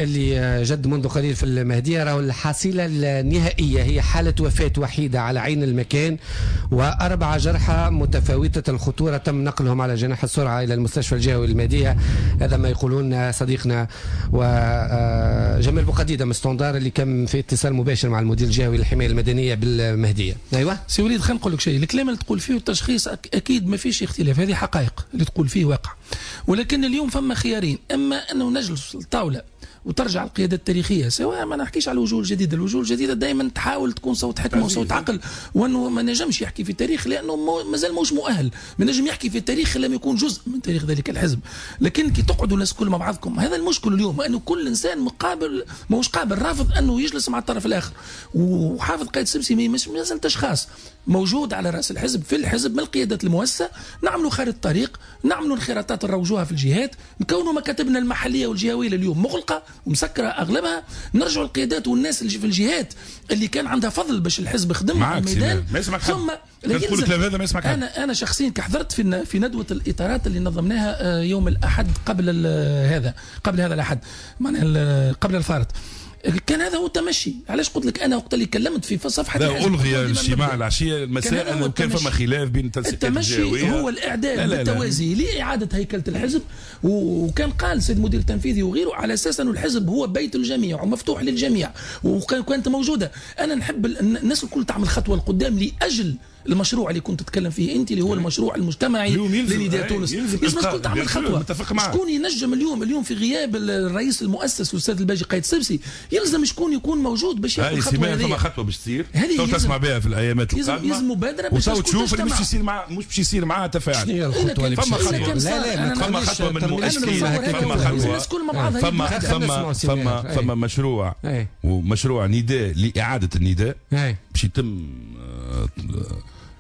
اللي جد منذ قليل في المهدية، راهو الحصيلة النهائية هي حاله وفاه وحيده على عين المكان و4 جرحى متفاوتة الخطورة تم نقلهم على جناح السرعة الى المستشفى الجهوي المهدية. هذا ما يقولون صديقنا وجمال بوقديده من standard اللي كان في اتصال مباشر مع المدير الجهوي للحماية المدنية بالمهديه. ايوه سي وليد، خلينا نقول لك شيء. الكلام اللي تقول فيه والتشخيص اكيد ما فيش اختلاف، هذه حقائق اللي تقول فيه واقع. ولكن اليوم فما خيارين، اما انه نجلس الطاولة وترجع القيادة التاريخية، سواء ما نحكيش على الوجوه الجديدة، الوجوه الجديدة دائما تحاول تكون صوت حكمه وصوت عقل، وانه ما نجمش يحكي في التاريخ لانه مازال مش مؤهل، ما نجم يحكي في التاريخ لم يكون جزء من تاريخ ذلك الحزب. لكن كي تقعدوا الناس كل مع بعضكم، هذا المشكل اليوم، انه كل انسان مقابل ماهوش قابل، رافض انه يجلس مع الطرف الاخر. وحافظ قايد السبسي مازال اشخاص موجود على راس الحزب في الحزب من القيادات المؤسسة، نعملوا خارطة طريق، نعملوا انخراطات نروجوها في الجهات، نكونوا مكاتبنا المحلية والجهويه اليوم مغلقة ومسكره اغلبها، نرجعوا القيادات والناس اللي في الجهات اللي كان عندها فضل باش الحزب خدم في الميدان. ثم هذا ما يسمعك. انا شخصيا كحضرت في ندوه الاطارات اللي نظمناها يوم الاحد قبل هذا، قبل هذا الاحد معناها قبل الفارط، كان هذا هو التمشي. علاش قلت لك انا وقت اللي كلمت في صفحة لا الغي الاجتماع العشية المساء، انه كان فما خلاف بين التنسيقات التمشي هو الاعداد بالتوازي لاعادة هيكله الحزب، وكان قال السيد المدير التنفيذي وغيره على اساس انه الحزب هو بيت الجميع ومفتوح للجميع، وكانت موجودة. انا نحب الناس الكل تعمل خطوة لقدام لاجل المشروع اللي كنت تتكلم فيه انت، اللي هو المشروع المجتمعي لنداء تونس. لازم الكل تعمل خطوة. شكون ينجم اليوم في غياب الرئيس المؤسس الاستاذ الباجي قايد السبسي، يلزم شكون يكون موجود باش ياخذ الخطوة هذه. فما خطوة باش تصير تسمع بها في الايامات القادمة، يلزم مبادرة باش تشوف اللي مش باش يصير معها تفاعل. شنو هي الخطوة اللي فما خطوة؟ لا فما خطوة من مؤسسين، فما خطوة، فما مشروع ومشروع نداء لاعادة النداء باش يتم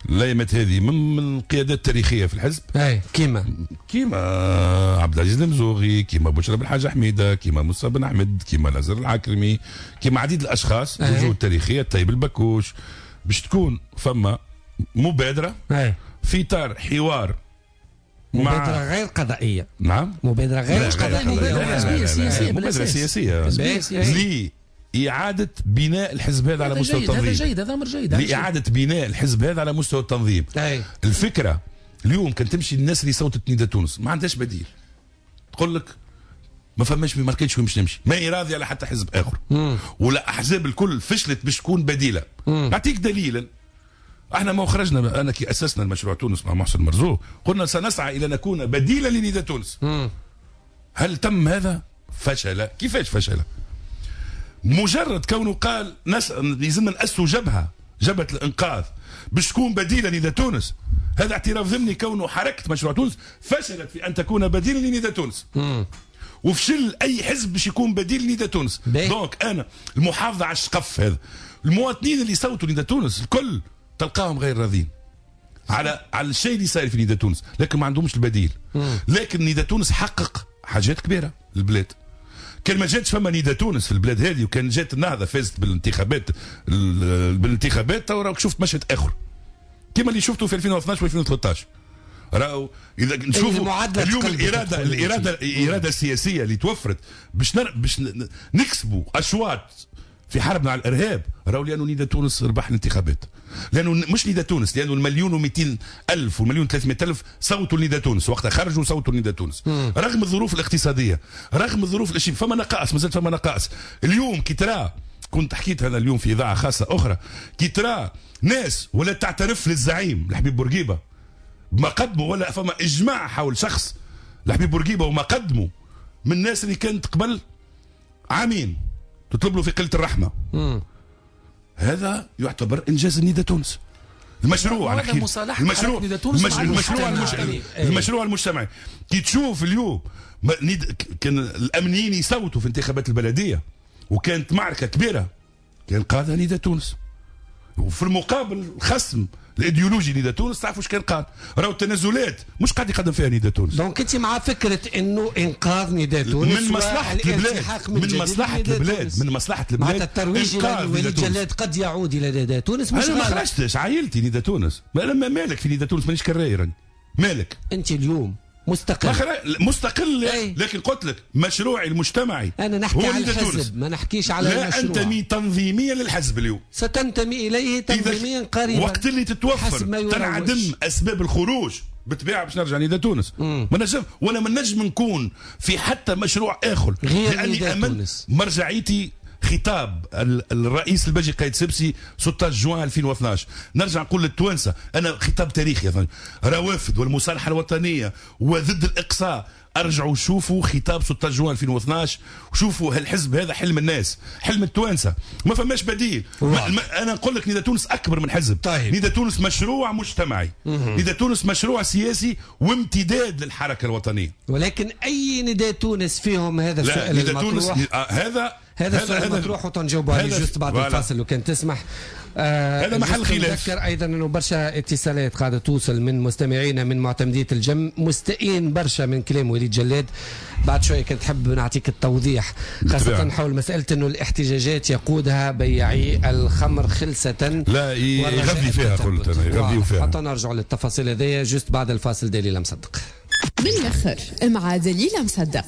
الايامات هذه من القيادات التاريخية في الحزب. اي كيما عبد العزيز المزوغي، كيما بشرى بن حاج حميده، كيما موسى بن احمد، كيما نازر العكرمي، كيما عديد الاشخاص الوجوه التاريخية، طيب البكوش، باش تكون فما مبادرة في اطار حوار، مبادرة غير قضائية. نعم، مبادرة غير قضائية، مبادرة سياسية لإعادة بناء الحزب هذا على مستوى التنظيم. هذا جيد، هذا أمر جيد. لإعادة بناء الحزب هذا على مستوى التنظيم. الفكرة اليوم كان تمشي الناس اللي صوتت نداء تونس ما عندهاش بديل، تقول لك ما فماش، ما لقيتش وين باش نمشي، ما هي راضية على حتى حزب آخر، ولا أحزاب الكل فشلت باش تكون بديلة. نعطيك دليلا، احنا ما خرجنا، انا كي اسسنا المشروع تونس مع محسن مرزوق قلنا سنسعى الى نكون بديلا لنداء تونس. هل تم هذا؟ فشل. كيفاش فشل؟ مجرد كونه قال لازم نأسسوا جبهة الإنقاذ باش تكون بديلة لنداء تونس، هذا اعتراف ضمني كونه حركة مشروع تونس فشلت في أن تكون بديلة لنداء تونس. وفشل أي حزب باش يكون بديل لنداء تونس. donc أنا المحافظة على الشقف هذا، المواطنين اللي صوتوا لنداء تونس الكل تلقاهم غير راضين على الشيء اللي صاير في نداء تونس، لكن ما عندهمش البديل. لكن نداء تونس حقق حاجات كبيرة للبلاد. كان ما جاتش فما نداء تونس في البلاد هذه، وكان جات النهضة فازت بالانتخابات تو راك شفت مشهد اخر كما اللي شفته في 2012 و2013. راهو اذا نشوفوا اليوم الارادة السياسية اللي توفرت باش نكسبوا اشواط في حربنا على الارهاب، راهو لانه نداء تونس ربح الانتخابات، لانه مش نداء تونس، لانه 1,200,000 و1,300,000 صوتوا لنداء تونس وقتها، خرجوا صوتوا لنداء تونس رغم الظروف الاقتصادية، رغم الظروف الاشياء، فما نقائص، مازال فما نقائص. اليوم كي ترى كنت حكيت هذا اليوم في اذاعة خاصة اخرى، كي ترى ناس ولا تعترف للزعيم الحبيب بورقيبة بما قدموا، ولا فما اجماع حول شخص الحبيب بورقيبة وما قدموا من الناس اللي كانت قبل عامين تطلب له في قلة الرحمة. هذا يعتبر انجاز النداء تونس. المشروع على المشروع المشروع المجتمعي. كي تشوف اليوم كان الامنيين يصوتوا في انتخابات البلدية وكانت معركة كبيرة، كان قادها نداء تونس. وفي المقابل الخصم الايديولوجي نداء تونس تعرفوا اش كان قال؟ راهو التنازلات مش قاعد يقدم فيها نداء تونس. donc انت مع فكرة انه انقاذ نداء تونس من مصلحة البلاد، من مصلحة البلاد، من مصلحة البلاد. معناتها الترويج لوليد جلاد قد يعود الى نداء تونس. مش انا ما خرجتش عائلتي نداء تونس، انا مالك في نداء تونس، مانيش كراي راني مالك. انت اليوم مستقل، مستقل أي. لكن قلت لك مشروعي المجتمعي انا نحكي على الحزب، ما نحكيش على لا المشروع. لا انتمي تنظيميا للحزب اليوم، ستنتمي اليه تنظيميا قريبا وقت اللي تتوفر تنعدم اسباب الخروج بالطبيعة باش نرجع نداء تونس. ما نجم ولا ما نجم نكون في حتى مشروع اخر غير لاني امنت مرجعيتي خطاب الرئيس الباجي قايد سبسي 16 جوان 2012. نرجع نقول للتوانسه انا خطاب تاريخي، روافد والمصالحة الوطنية وضد الاقصاء، ارجعوا شوفوا خطاب 16 جوان 2012 وشوفوا هالحزب هذا حلم الناس، حلم التوانسة، ما فماش بديل. انا نقول لك نداء تونس اكبر من حزب. طيب. نداء تونس مشروع مجتمعي، نداء تونس مشروع سياسي وامتداد للحركة الوطنية. ولكن اي نداء تونس فيهم هذا السؤال المطروح؟ هذا السؤال المطروح وتنجاوبوا عليه juste بعد الفاصل لو كان تسمح. هذا محل خلاف. نذكر ايضا انه برشا اتصالات قاعدة توصل من مستمعينا من معتمديه الجم، مستائين برشا من كلام وليد جلاد. بعد شوية كنت تحب نعطيك التوضيح خاصة حول مسالة انه الاحتجاجات يقودها بياعي الخمر خلسه. لا يغذي فيها، قلت انا يغذيوا فيها. حتى نرجع للتفاصيل هذيا juste بعد الفاصل. دليل مصدق بالاخر مع دليل مصدق.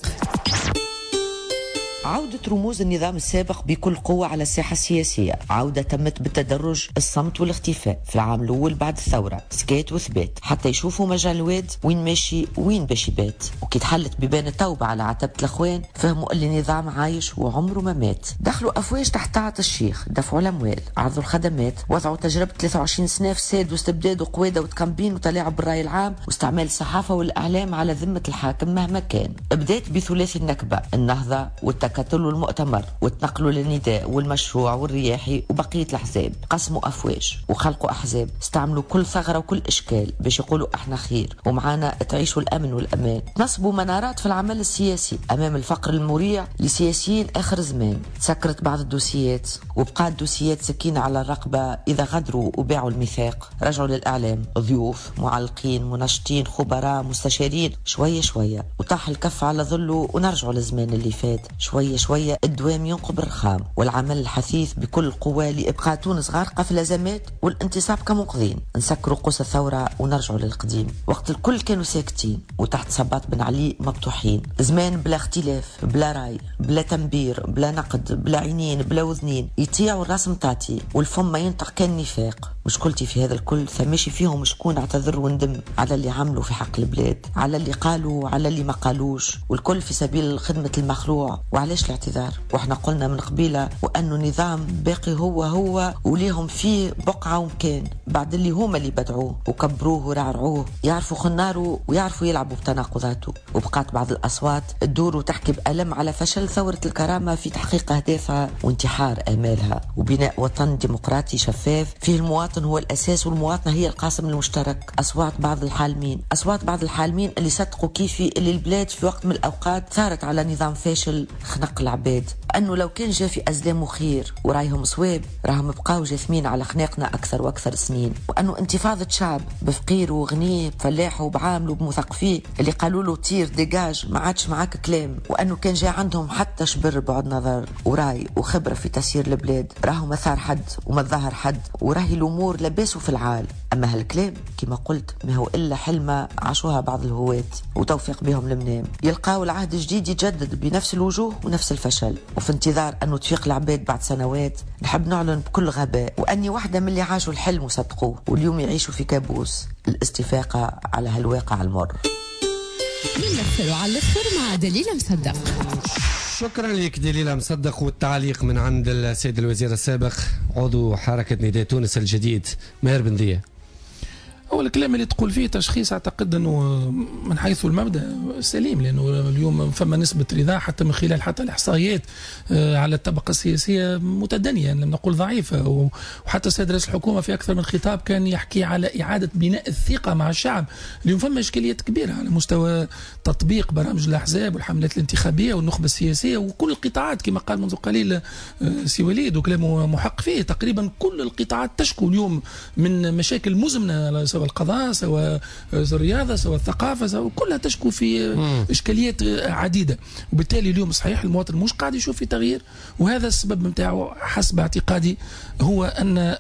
عودة رموز النظام السابق بكل قوة على الساحة السياسية، عودة تمت بالتدرج، الصمت والاختفاء في العام الأول بعد الثورة، سكات وثبات حتى يشوفوا مجال الواد وين ماشي وين باش يبات. وكي تحلت بيبان التوبة على عتبة الأخوان فهموا اللي النظام عايش وعمره ما مات. دخلوا أفواج تحت طاعة الشيخ، دفعوا الأموال، عرضوا الخدمات، وضعوا تجربة 23 سنة فساد واستبداد وقوادة وتكمبين وتلاعب بالرأي العام واستعمال الصحافة والإعلام على ذمة الحاكم مهما كان. بدأت بثلاثي النكبة، النهضة والتكتل والمؤتمر، وتنقلوا للنداء والمشروع والرياحي وبقية الأحزاب. قسموا أفواج وخلقوا أحزاب، استعملوا كل ثغرة وكل إشكال باش يقولوا احنا خير ومعانا تعيشوا الأمن والأمان. نصبوا منارات في العمل السياسي أمام الفقر المريع لسياسيين آخر زمان. سكرت بعض الدوسيات وبقات دوسيات سكينة على الرقبة إذا غدروا وباعوا الميثاق. رجعوا للإعلام ضيوف، معلقين، منشطين، خبراء، مستشارين، شوية شوية وطاح الكف على ظله ونرجعوا للزمان اللي فات. شوية شوية الدوام ينقب الرخام والعمل الحثيث بكل قوة لإبقاء تونس غارقة في الأزمات والانتصاب كمنقذين. نسكروا قوس الثورة ونرجعوا للقديم وقت الكل كانوا ساكتين وتحت صباط بن علي مبطوحين. زمان بلا اختلاف، بلا راي، بلا تنبير، بلا نقد، بلا عينين، بلا وذنين، يطيعوا الراس متاعتي والفم ما ينطق كان نفاق. مشكلتي في هذا الكل ثماشي فيهم شكون اعتذر وندم على اللي عملوا في حق البلاد، على اللي قالوا، على اللي ما قالوش، والكل في سبيل خدمة المخلوع. وعلاش الاعتذار؟ واحنا قلنا من قبيلة وأنه نظام باقي هو هو وليهم فيه بقعة ومكان بعد اللي هما اللي بدعوة وكبروه ورعرعوه، يعرفوا خناره ويعرفوا يلعبوا بتناقضاته. وبقات بعض الأصوات تدور وتحكي بألم على فشل ثورة الكرامة في تحقيق أهدافها وانتحار آمالها وبناء وطن ديمقراطي شفاف فيه المواطن هو الأساس والمواطنة هي القاسم المشترك. أصوات بعض الحالمين، أصوات بعض الحالمين اللي صدقوا كيفي اللي البلاد في وقت من الأوقات ثارت على نظام فاشل خنق العباد، أنه لو كان جا في أزلامه خير ورايهم صواب راهم بقاو جاثمين على خناقنا أكثر وأكثر سنين. وأنه انتفاضة شعب بفقير وغنيه، بفلاحه وبعامله وبمثقفيه اللي قالوا له tire dégage ما عادش معاك كلام، وأنه كان جا عندهم حتى شبر بعد نظر وراي وخبرة في تسيير البلاد راهو ما ثار حد وما ظهر حد وراهي الأمور لباسوا في العال. أما هالكلام كما قلت ما هو إلا حلمة عاشوها بعض الهواة وتوفيق بهم المنام، يلقاو العهد الجديد يتجدد بنفس الوجوه ونفس الفشل. وفي انتظار أنه تفيق العباد بعد سنوات نحب نعلن بكل غباء وأني واحدة من اللي عاشوا الحلم وصدقوه واليوم يعيشوا في كابوس الاستفاقة على هالواقع المر. من الاخر وعلى الاخر مع دليلة مصدق. شكرا لك دليلة مصدق، والتعليق من عند السيد الوزير السابق عضو حركة نداء تونس الجديد ماهر بن ضياء. هو الكلام اللي تقول فيه تشخيص اعتقد انه من حيث المبدا سليم، لانه اليوم فما نسبه رضا حتى من خلال حتى الاحصائيات على الطبقة السياسية متدنيه، لم نقول ضعيفة، وحتى السيد رئيس الحكومة في اكثر من خطاب كان يحكي على اعاده بناء الثقة مع الشعب. اليوم فما اشكاليات كبيرة على مستوى تطبيق برامج الاحزاب والحملات الانتخابية والنخبه السياسية وكل القطاعات، كما قال منذ قليل سي وليد وكلامه محق فيه، تقريبا كل القطاعات تشكو اليوم من مشاكل مزمنة، سواء القضاء سواء الرياضة سواء الثقافة سواء كلها تشكو في إشكاليات عديدة. وبالتالي اليوم صحيح المواطن مش قاعد يشوف في تغيير، وهذا السبب نتاعو حسب اعتقادي هو أن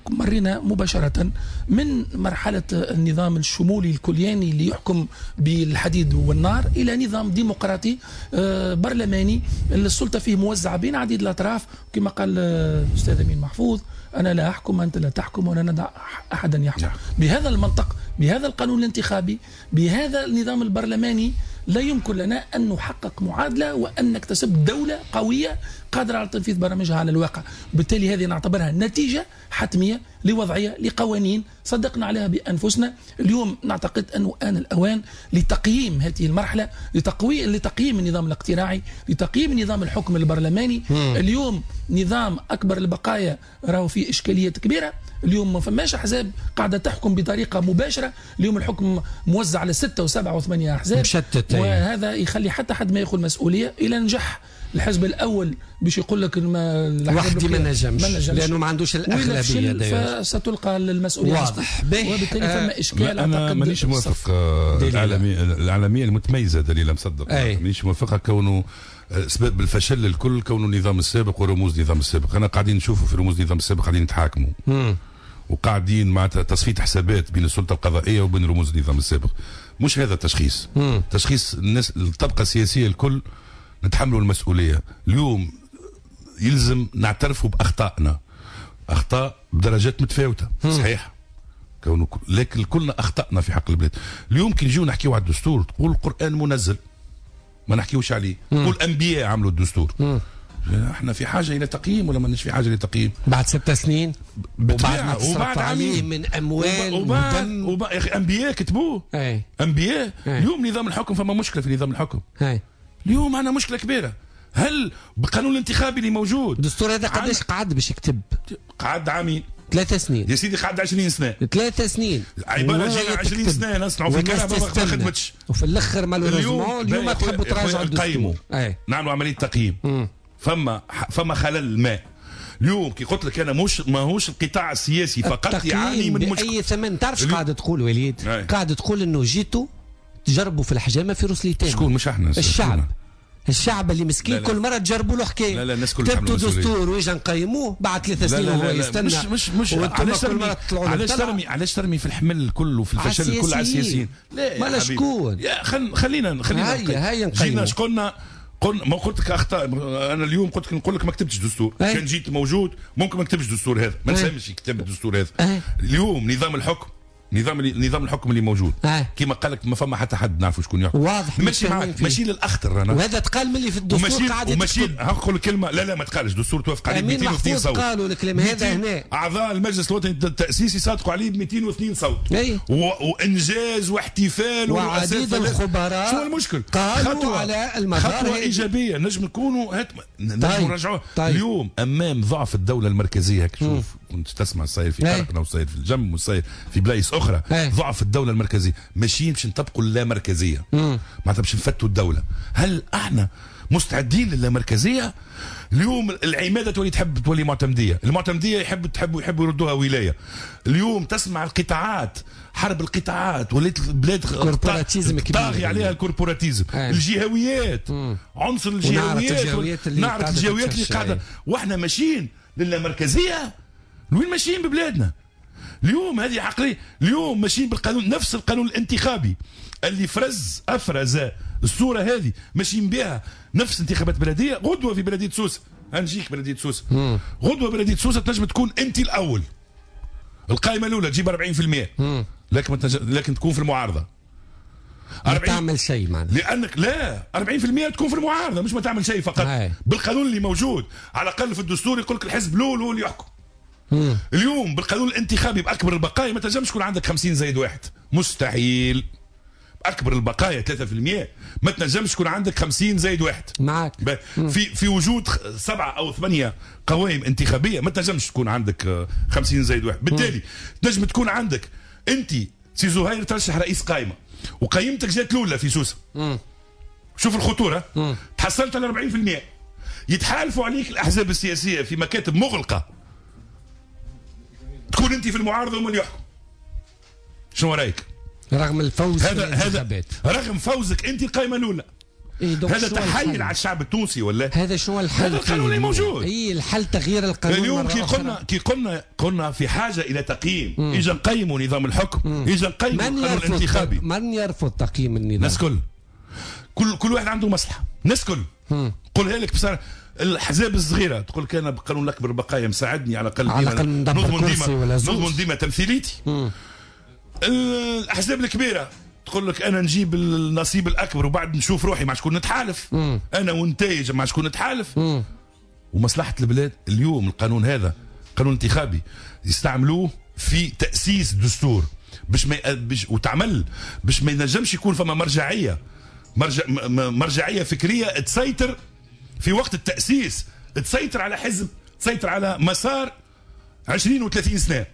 مرينا مباشرة من مرحلة النظام الشمولي الكلياني اللي يحكم بالحديد والنار إلى نظام ديمقراطي برلماني السلطة فيه موزعة بين عديد الأطراف. كما قال الأستاذ أمين محفوظ، أنا لا أحكم أنت لا تحكم ولا ندع أحدا يحكم. بهذا المنطق، بهذا القانون الانتخابي، بهذا النظام البرلماني، لا يمكن لنا أن نحقق معادلة وأن نكتسب دولة قوية قادرة على تنفيذ برامجها على الواقع. وبالتالي هذه نعتبرها نتيجة حتمية لوضعية لقوانين صدقنا عليها بأنفسنا. اليوم نعتقد أنه آن الأوان لتقييم هذه المرحلة، لتقييم النظام الاقتراعي، لتقييم نظام الحكم البرلماني. اليوم نظام أكبر البقايا راهو فيه إشكاليات كبيرة. اليوم ما فماش أحزاب قاعدة تحكم بطريقة مباشرة. اليوم الحكم موزع على 6 و7 و8 أحزاب مشتت، وهذا يخلي حتى حد ما ياخذ مسؤولية. إلى نجح الحزب الأول باش يقول لك وحدي ما نجمش لأنه ما عندوش الأغلبية، فستلقى المسؤولية. واضح. وبالتالي فما إشكال. أنا مانيش موافق. الإعلامية المتميزة دليلة مصدق مانيش موافقة كونه سبب الفشل الكل كونه النظام السابق ورموز النظام السابق. أنا قاعدين نشوفوا في رموز النظام السابق قاعدين يتحاكموا وقاعدين معناتها تصفية حسابات بين السلطة القضائية وبين رموز النظام السابق. مش هذا التشخيص. تشخيص الناس الطبقة السياسية الكل نتحملوا المسؤولية. اليوم يلزم نعترفوا بأخطائنا، أخطاء بدرجات متفاوتة صحيح، لكن كلنا أخطأنا في حق البلاد. اليوم كي نجيو نحكيو على الدستور تقول القرآن منزل ما نحكيوش عليه، تقول أنبياء عملوا الدستور. احنا في حاجة الى تقييم ولا ماناش في حاجة لتقييم؟ بعد 6 سنين وبعد ما تصرف عليه من اموال ودم يا اخي انبياء كتبوه. انبياء. اليوم نظام الحكم فما مشكلة في نظام الحكم. اليوم عندنا مشكلة كبيرة. هل بالقانون الانتخابي اللي موجود الدستور هذا قداش قعد باش يكتب؟ قعد عامين، 3 سنين يا سيدي، قعد 20 سنة، 3 سنين عبارة جينا 20 سنة نصنعوا في كلام ما خدمتش، وفي الاخر malheureusement اليوم تحبوا تراجعوا الدستور. نعملوا عملية تقييم. فما خلل ما. اليوم كي قلت لك انا مش ماهوش القطاع السياسي فقط يعاني من مشكلة باي ثمن. تعرف قاعدة تقول وليد؟ قاعدة تقول انه جيتوا تجربوا في الحجامة في روس ليتان. شكون؟ مش احنا، الشعب. الشعب اللي مسكين. لا لا. كل مرة تجربوا له حكاية. لا لا، الناس كل كتبتوا دستور ويجا نقيموه بعد 3 سنين وهو يستنى. مش علاش ترمي علاش ترمي في الحمل الكل وفي الفشل الكل على السياسيين؟ لا ما شكون؟ يا خلينا هيا نقيموا. جينا قلنا ما قلت لك اخطاء. انا اليوم قلت لك نقول لك ما كتبتش دستور. كان جيت موجود ممكن ما كتبش دستور هذا، ما نسامش يكتب الدستور هذا. اليوم نظام الحكم، نظام الحكم اللي موجود كما قال لك ما فما حتى حد نعرفوا شكون يحكم. واضح. ماشي معك، ماشي للاخطر انا. وهذا تقال من اللي في الدستور قاعد وماشي نقول كلمة لا لا ما تقالش. دستور توافق عليه 202 صوت. قالوا الكلام هذا هنا. اعضاء المجلس الوطني التاسيسي صادقوا عليه ب 202 صوت. وانجاز واحتفال وعديد الخبراء. شو المشكل؟ قالوا على المدار خطوة ايجابية نجم نكونوا نجم نرجعوها. اليوم امام ضعف الدولة المركزية، شوف كنت تسمع الصاير في قرقنا وصاير في الجم وصاير في بلايص اخرى. ضعف الدولة المركزية، ماشيين باش نطبقوا اللامركزيه، معناتها باش نفتوا الدولة. هل احنا مستعدين للامركزيه؟ اليوم العماده تولي تحب تولي معتمديه، المعتمديه يحبوا يردوها ولاية. اليوم تسمع القطاعات، حرب القطاعات، ولات البلاد corporatisme كبير طاغي عليها ال corporatisme. الجهويات، عنصر الجهويات، نعرف الجهويات اللي قاعدة، واحنا ماشيين للامركزيه. وين ماشيين ببلادنا؟ اليوم هذه عقلية. اليوم ماشيين بالقانون، نفس القانون الانتخابي اللي افرز الصورة هذه ماشيين بها نفس انتخابات بلديه. غدوه في بلديه سوسة، هنجيك بلديه سوسة، غدوه بلديه سوسة تنجم تكون انت الاول، القائمة الاولى تجيب 40%، لكن تكون في المعارضة. ما تعمل شيء معناها، لانك لا 40% تكون في المعارضة، مش ما تعمل شيء فقط. هاي. بالقانون اللي موجود على الاقل في الدستور يقول لك الحزب الاول هو اللي يحكم. اليوم بالقانون الانتخابي باكبر البقايا ما تنجمش يكون عندك 50+1، مستحيل. اكبر البقايا 3% ما تنجمش يكون عندك 50+1. معك في وجود 7 أو 8 قوائم انتخابية ما تنجمش تكون عندك 50+1. بالتالي تنجم تكون عندك انت سي زهير ترشح رئيس قائمة وقيمتك جات الاولى في سوسة. شوف الخطورة. تحصلت على 40%، يتحالفوا عليك الاحزاب السياسية في مكاتب مغلقة، تكون انت في المعارضة ومن يحكم. شنو رايك؟ رغم الفوز هذا رغم فوزك انت القائمة الاولى. إيه هذا تحيل على الشعب التونسي ولا؟ هذا شنو الحل؟ هذا القانون اللي موجود. اي الحل تغيير القانون. اليوم كي قلنا في حاجة الى تقييم، اجا نقيموا نظام الحكم، اجا نقيموا القانون الانتخابي. من يرفض تقييم النظام؟ الناس كل واحد عنده مصلحة، الناس كل. قولها لك بصراحة، الاحزاب الصغيرة تقول لك انا بالقانون الاكبر البقايا مساعدني على الاقل نضمن ديما تمثيليتي. الاحزاب الكبيرة تقول لك انا نجيب النصيب الاكبر وبعد نشوف روحي مع شكون نتحالف. انا ونتايج مع شكون نتحالف. ومصلحه البلاد. اليوم القانون هذا قانون انتخابي يستعملوه في تاسيس دستور باش ما وتعمل باش ما ينجمش يكون فما مرجعية مرجعية فكرية تسيطر في وقت التاسيس، تسيطر على حزب، تسيطر على مسار 20 و30 سنة.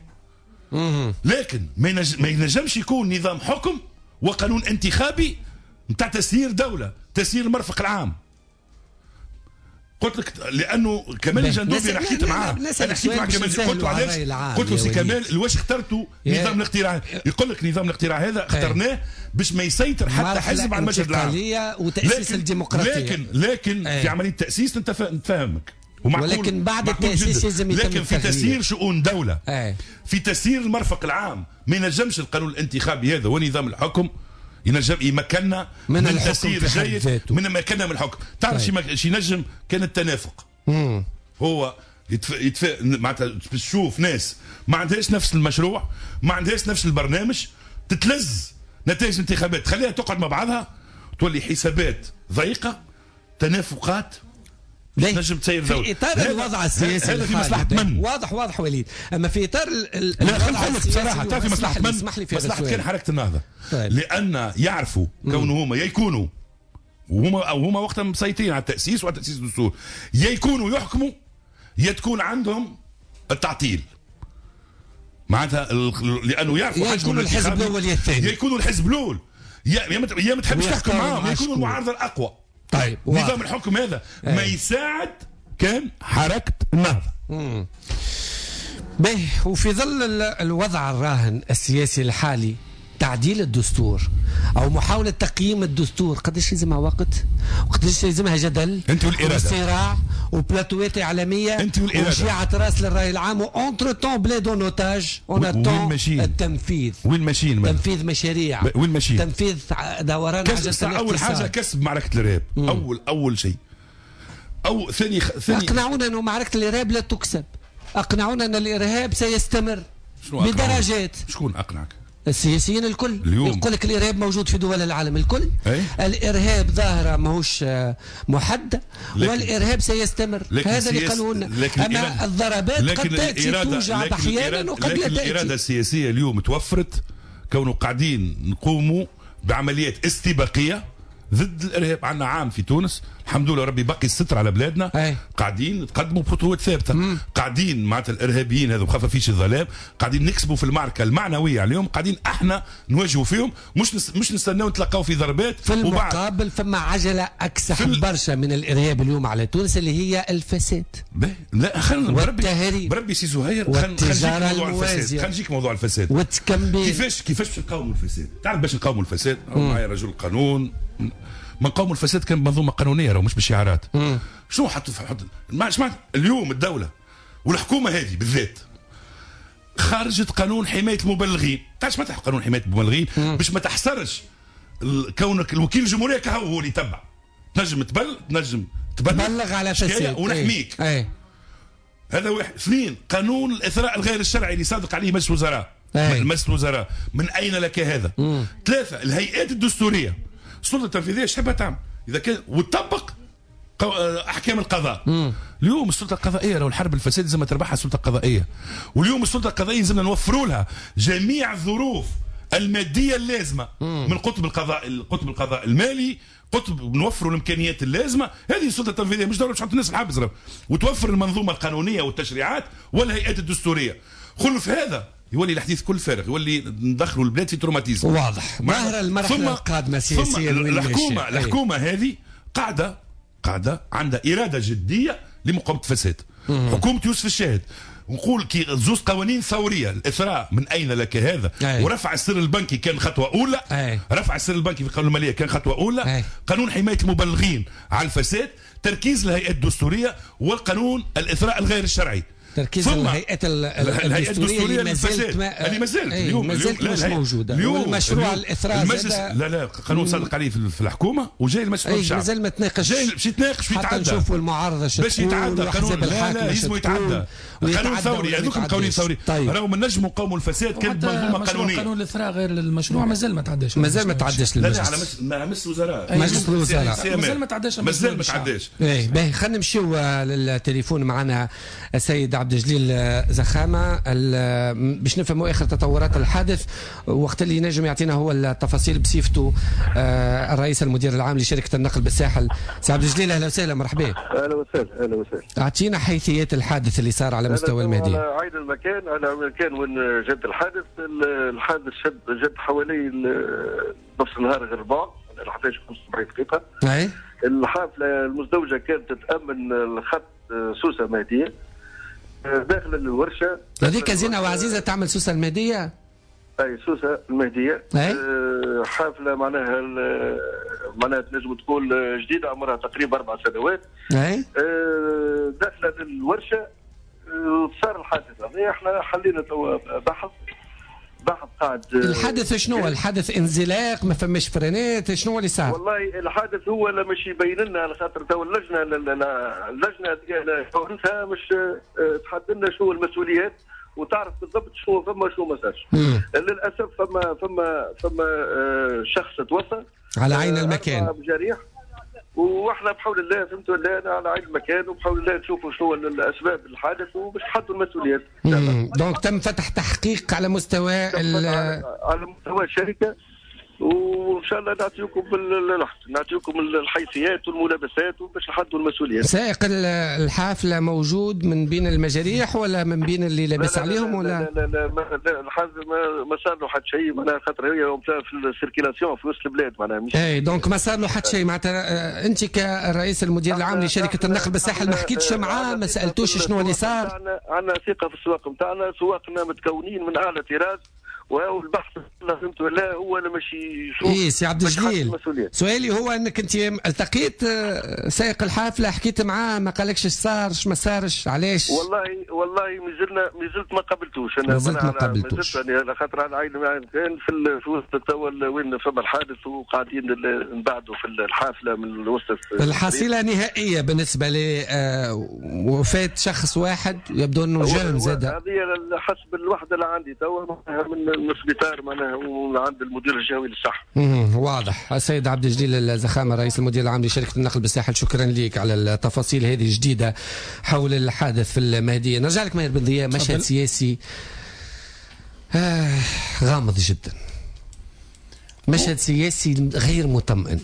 لكن ما ينجمش يكون نظام حكم وقانون انتخابي نتاع تسيير دولة، تسيير المرفق العام. قلت لك لانه كمال الجندوبي انا حكيت معاه، انا حكيت مع كمال، قلت له علاش، قلت له سي كمال واش اخترتوا نظام الاقتراع؟ يقول لك نظام الاقتراع هذا اخترناه باش ما يسيطر حتى حزب على المشهد العام وتاسيس الديمقراطية. لكن في عملية التاسيس نتفاهمك، ولكن بعد التاسيس لازم يتم لكن في تسيير شؤون دولة، في تسيير المرفق العام، ما ينجمش القانون الانتخابي هذا ونظام الحكم ينجم يمكننا من تسيير جيد، من مكننا من الحكم. تعرف شي ينجم كان التنافق. هو معناتها تشوف ناس ما عندهاش نفس المشروع، ما عندهاش نفس البرنامج، تتلز نتائج الانتخابات، تخليها تقعد مع بعضها، تولي حسابات ضيقه، تنافقات، نجم تسير في اطار الوضع السياسي هذا في مصلحة من؟ واضح وليد. اما في اطار الوضع السياسي بصراحة تعرف في مصلحة من؟ مصلحة كان حركة النهضة. طيب. لان يعرفوا كونه هما يكونوا وهما وقتها مسيطرين على التاسيس وعلى تاسيس الدستور، يا يكونوا يحكموا يا تكون عندهم التعطيل. معناتها لانه يعرفوا حجم الحزب الاول يا الثاني، يا يكونوا الحزب الاول يا ما تحبش تحكم معاهم، يا يكونوا المعارضة الاقوى. طيب نظام الحكم هذا ما يساعد كان حركة النهضة. باهي. وفي ظل الوضع الراهن السياسي الحالي، تعديل الدستور او محاولة تقييم الدستور قداش لازمها وقت، وقداش لازمها جدل انت والارادة وصراع وبلاتوات اعلامية انت والارادة وشيعه راس للراي العام، و entre-temps بلاد en otage، en attend التنفيذ. وين ماشيين؟ تنفيذ مشاريع. وين ماشيين؟ تنفيذ دوران عجله. اول حاجة كسب معركة الارهاب. اول شيء. او ثاني اقنعونا انه معركة الارهاب لا تكسب، اقنعونا ان الارهاب سيستمر بدرجات. شكون اقنعك؟ السياسيين الكل يقول لك الارهاب موجود في دول العالم الكل. أي؟ الارهاب ظاهره ماهوش محددة، والارهاب سيستمر. هذا اللي قالوا لنا. اما الضربات قد تاتي توجع احيانا وقد لا تاتي. الارادة السياسية اليوم توفرت كونه قاعدين نقوموا بعمليات استباقية ضد الارهاب. عندنا عام في تونس الحمد لله ربي بقي الستر على بلادنا. أي. قاعدين نتقدموا بخطوات ثابتة. قاعدين معناتها الارهابيين هذو خفافيش الظلام قاعدين نكسبوا في المعركة المعنوية عليهم، قاعدين احنا نواجهوا فيهم، مش نستناو نتلقاو في ضربات. في المقابل فما عجله اكسح برشا من الارهاب اليوم على تونس اللي هي الفساد. لا خلينا والتهريب. بربي سي زهير خلينا نجيك موضوع الفساد، خلينا نجيك موضوع الفساد والتكمبين. كيفاش باش نقاوموا الفساد؟ تعرف باش نقاوموا الفساد؟ معايا رجل قانون. ما نقاوموا الفساد كان بمنظومة قانونية راهو مش بشعارات. شنو حط معناتها اليوم الدولة والحكومة هذه بالذات خرجت قانون حماية المبلغين. تعرف معناتها قانون حماية المبلغين؟ باش ما تحصرش كونك الوكيل الجمهورية كهو هو اللي يتبع، تنجم تبلغ على فساد ونحميك. ايه. هذا واحد. اثنين، قانون الاثراء الغير الشرعي اللي صادق عليه مجلس الوزراء. مجلس الوزراء، من اين لك هذا؟ ثلاثة، الهيئات الدستورية، السلطة التنفيذية ايش تحبها تعمل؟ اذا كان وتطبق احكام القضاء. اليوم السلطة القضائية لو الحرب الفساد لازم تربحها السلطة القضائية، واليوم السلطة القضائية لازمنا نوفروا لها جميع الظروف المادية اللازمة من قطب القضاء، القطب القضاء المالي، قطب نوفروا الامكانيات اللازمة. هذه السلطة التنفيذية مش دولة باش تحط الناس الحبس، وتوفر المنظومة القانونية والتشريعات والهيئات الدستورية. خلف هذا يولي الحديث كل فارغ، يولي ندخلوا البلاد في traumatisme. واضح. ظاهره المرحلة القادمة سياسيا. الحكومة هذه قاعدة عندها اراده جدية لمقاومة الفساد. حكومة يوسف الشاهد نقول كي زوز قوانين ثورية، الاثراء من اين لك هذا؟ أي. ورفع السر البنكي كان خطوة اولى. أي. رفع السر البنكي في قانون المالية كان خطوة اولى. أي. قانون حماية المبلغين على الفساد، تركيز الهيئات الدستورية، والقانون الاثراء الغير الشرعي. تركيز الهيئات الدستورية للفساد اللي ما زالت اليوم ما زالت مش موجودة. والمشروع الاثراء المجلس لا قانون صادق عليه في الحكومة وجاي المجلس الشعب، مازال ما تناقش، جاي باش يتناقش حتى نشوفوا المعارضة باش يتعدى قانون. لا لازم يتعدى قانون ثوري، هذوك قوانين ثوري. راهو ما نجموا نقاوموا الفساد كان بمنظومة قانونية. قانون الاثراء غير المشروع مازال ما تعداش، مازال ما تعداش للمجلس. لا على مجلس الوزراء، مجلس الوزراء مازال ما تعداش، مازال ما تعداش. باهي، خلينا نمشيو للتليفون معنا السيد عبد الجليل زخامة باش نفهموا اخر تطورات الحادث، وقت اللي نجم يعطينا هو التفاصيل بصفته الرئيس المدير العام لشركة النقل بالساحل. سي عبد الجليل اهلا وسهلا، مرحبا. اهلا وسهلا. اهلا وسهلا. اعطينا حيثيات الحادث اللي صار على مستوى المهدية. على عين المكان، على المكان وين جد الحادث. الحادث جد حوالي نص النهار غير ربع، 11:45 دقيقة. اي. الحافلة المزدوجة كانت تتامن الخط سوسة مهديه داخل الورشة. هذيك زينة وعزيزه تعمل سوسة المهدية؟ اي سوسة المهدية. حافلة معناها تنجم تقول جديدة، عمرها تقريبا 4 سنوات. اي. داخله للورشه صار الحادث هذا. احنا حلينا توا بحث قاعد. الحادث شنو؟ الحادث انزلاق، ما فماش فرانات، شنو اللي صار؟ والله الحادث هو اللي مش يبين لنا، على خاطر تو اللجنة فورتها مش تحدد لنا شو المسؤوليات وتعرف بالضبط شو فما شو ما صارش. للاسف فما شخص توفى على عين المكان بجريح، واحنا بحول الله فهمتوا لا على عين المكان، وبحول الله نشوفوا شنو الاسباب الحادث وباش نحطوا المسؤوليات. donc تم فتح تحقيق على مستوى على مستوى الشركة، وان شاء الله نعطيكم نعطيكم الحيثيات والملابسات وباش نحدوا المسؤوليات. سائق الحافلة موجود من بين المجاريح ولا من بين اللي لابس عليهم ولا؟ لا لا لا، الحادث ما صار له حتى شيء، معناها خاطر هي في ال circulation في وسط البلاد معناها مش. اي donc ما صار له حتى شيء معناتها. انت كرئيس المدير العام لشركة النقل بالساحل ما حكيتش معاه، ما سالتوش شنو اللي صار؟ عندنا ثقة في السواق نتاعنا، سواقنا متكونين من اعلى طراز، وهو البحث فهمت ولا هو اللي مش يشوف. اي سي عبد الجليل، سؤالي هو انك انت التقيت سائق الحافلة، حكيت معاه، ما قالكش اش صار ما صارش علاش؟ والله مازلت ما قابلتوش انا، مازلت ما قابلتوش يعني، خاطر على عين كان في وسط توا وين فما الحادث وقاعدين نبعدوا في الحافلة من وسط. الحصيلة نهائية بالنسبة لوفاه شخص واحد يبدو انه jeune زاد. هذه حسب الوحدة اللي عندي توا من السبيطار معناها وعند المدير الجهوي للصحة. واضح. السيد عبد الجليل الزخامه رئيس المدير العام لشركة النقل بالساحل، شكرا لك على التفاصيل هذه الجديدة حول الحادث في المهدية. نرجع لك ماهر بن ضياء، مشهد سياسي غامض جدا، مشهد سياسي غير مطمئن،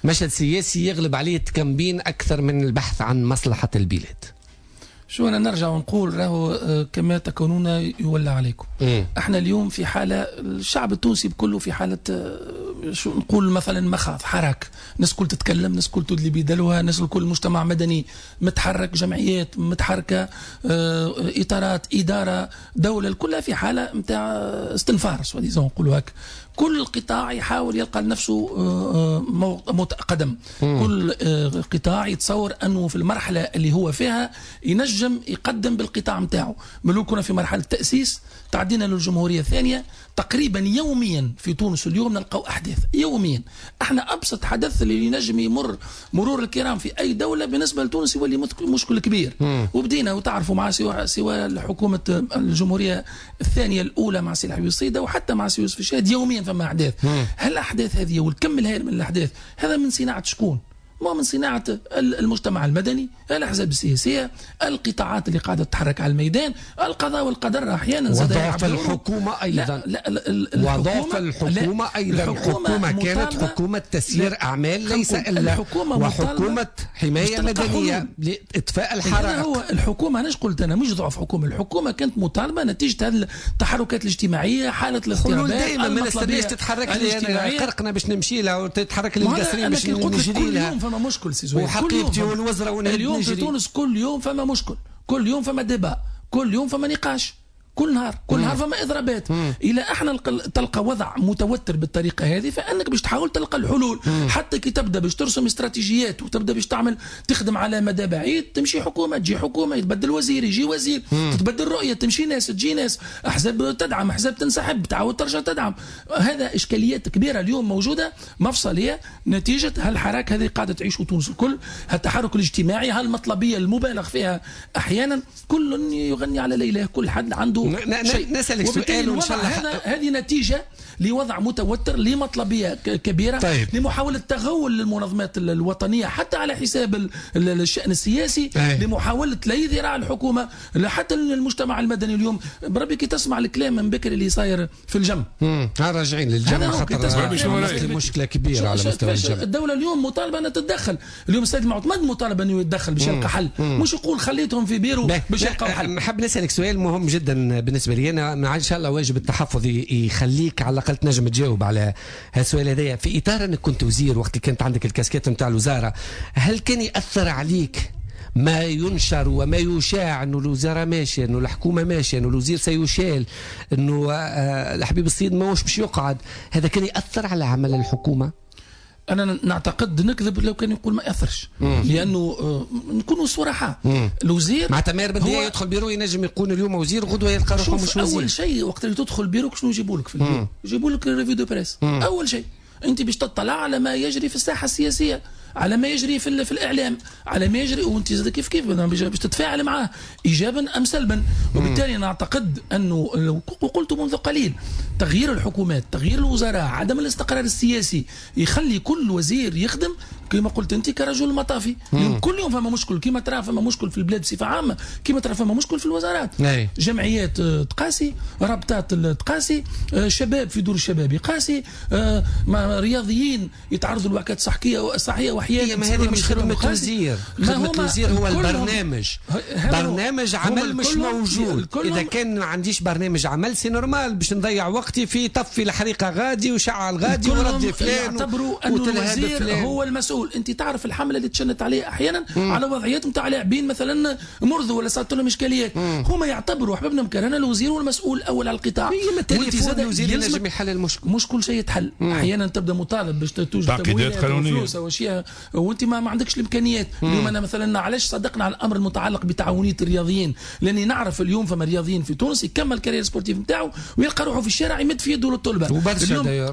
مشهد سياسي يغلب عليه التكمبين أكثر من البحث عن مصلحة البلاد. شو أنا نرجع ونقول راهو كما تكونون يولى عليكم. احنا اليوم في حالة، الشعب التونسي بكله في حالة شو نقول مثلا مخاض، حراك، الناس كل تتكلم، الناس كل تدلي بدلوها، الناس الكل مجتمع مدني متحرك، جمعيات متحركة، إطارات، إدارة، دولة، كلها في حالة نتاع استنفار soi-disant نقولوا هكا. كل قطاع يحاول يلقى لنفسه قدم، كل قطاع يتصور أنه في المرحلة اللي هو فيها ينجم ينجم يقدم بالقطاع نتاعو. ملو كنا في مرحلة تاسيس، تعدينا للجمهورية الثانية، تقريبا يوميا في تونس اليوم نلقاو احداث يوميا. احنا ابسط حدث اللي ينجم يمر مرور الكرام في اي دولة بالنسبة لتونس يولي مشكل كبير. وبدينا وتعرفوا مع سواء حكومة الجمهورية الثانية الاولى مع سي الحبيب الصيده وحتى مع سي يوسف الشاهد، يوميا فما احداث. هالاحداث هذه والكم الهائل من الاحداث هذا من صناعة شكون؟ ما من صناعة المجتمع المدني، الأحزاب السياسية، القطاعات اللي قاعدة تتحرك على الميدان، القضاء والقدر أحيانا. وضعف الحكومة أيضا. وضعف الحكومة أيضا. الحكومة كانت حكومة تسيير أعمال ليس إلا، وحكومة حماية مدنية لإطفاء الحرائق. هو الحكومة، أنا قلت أنا مش ضعف حكومة، الحكومة كانت مطالبة نتيجة هذه التحركات الاجتماعية، حالة الاضطرابات. دائما ما نستناش تتحرك لي قرقنا باش نمشي لها وتتحرك للقصرين باش نجري لها. فما مشكل سي زهير، وحقيبتي والوزراء اليوم في تونس كل يوم فما مشكل، كل يوم فما débat، كل يوم فما نقاش، كل نهار كل نهار فما اضرابات. الى احنا تلقى وضع متوتر بالطريقة هذه، فانك باش تحاول تلقى الحلول. حتى كي تبدا باش ترسم استراتيجيات وتبدا باش تعمل تخدم على مدى بعيد، تمشي حكومة تجي حكومة، يتبدل وزير يجي وزير، تتبدل رؤية تمشي ناس تجي ناس، احزاب تدعم احزاب تنسحب تعاود ترجع تدعم. هذا اشكاليات كبيرة اليوم موجودة مفصلية نتيجة هالحراك هذه قاعدة تعيشه تونس الكل، هالتحرك الاجتماعي، هالمطلبيه المبالغ فيها احيانا، كل يغني على ليلة، كل حد عنده نسألك سؤال وإن شاء الله. هذه نتيجة لوضع متوتر، لمطلبية كبيرة. طيب. لمحاولة تغول للمنظمات الوطنية حتى على حساب الشأن السياسي. لمحاولة لا ذراع الحكومة حتى المجتمع المدني اليوم. بربي كي تسمع الكلام من بكري اللي صاير في الجم، راجعين للجم خاطر مشكلة كبيرة على مستوى الجم. الدولة اليوم مطالبة أن تتدخل، اليوم السيد المعتمد مطالب أنه يتدخل باش يلقى حل، مش يقول خليتهم في بيرو باش يلقاو حل. نحب نسألك سؤال مهم جدا بالنسبة لي أنا، إن شاء الله واجب التحفظ يخليك على الأقل تنجم تجاوب على هالسؤال هذايا. في إطار أنك كنت وزير وقت اللي كانت عندك الكاسكيت نتاع الوزارة، هل كان يأثر عليك ما ينشر وما يشاع أنه الوزارة ماشية، أنه الحكومة ماشية، أنه الوزير سيشال، أنه الحبيب الصيد ماهوش باش يقعد؟ هذا كان يأثر على عمل الحكومة؟ أنا نعتقد نكذب لو كان يقول ما يأثرش، لأنه نكونوا صراحة. الوزير معناتها ماهر بديع يدخل بيرو ينجم يكون اليوم وزير، غدوة يلقى روحه مش وزير. أول شيء وقت اللي تدخل بيروك شنو يجيبوا لك في البيرو؟ يجيبوا لك revue de presse. أول شيء أنت باش تطلع على ما يجري في الساحة السياسية، على ما يجري في الإعلام، على ما يجري، وأنت زاد كيف كيف باش تتفاعل معاه إيجابا أم سلبا. وبالتالي أنا أعتقد أنه وقلت منذ قليل، تغيير الحكومات، تغيير الوزراء، عدم الاستقرار السياسي يخلي كل وزير يخدم كما قلت أنت كرجل مطافي. كل يوم فما مشكل، كما ترى فما مشكل في البلاد بصفة عامة، كما ترى فما مشكل في الوزارات. جمعيات تقاسي، رابطات تقاسي، شباب في دور الشباب يقاسي، رياضيين يتعرضوا لوعكات صحية وأحيانا. ما هذه مش خدمة وزير، خدمة وزير هو البرنامج، برنامج عمل مش موجود. إذا كان ما عنديش برنامج عمل c'est normal باش نضيع وقتي في طفي الحريقة غادي وشعل غادي وردي فلان. يعتبروا أن الوزير هو المسؤول. أنت تعرف الحملة اللي تشنت عليه أحيانا على وضعيات نتاع لاعبين مثلا مرضوا ولا صارت لهم إشكاليات، هما يعتبروا أحبابنا مكرهنا الوزير هو المسؤول الأول على القطاع. الوزير ينجم يحل المشكل، مش كل شيء يتحل. أحيانا تبدا مطالب باش توجد تمويلات وفلوس أو أشياء وأنت ما عندكش الإمكانيات. اليوم أنا مثلا علاش صدقنا على الأمر المتعلق بتعاونية الرياضيين؟ لأني نعرف اليوم فما رياضيين في تونس يكمل carrière sportive نتاعو ويلقى روحه في الشارع يمد في يده للطلبة.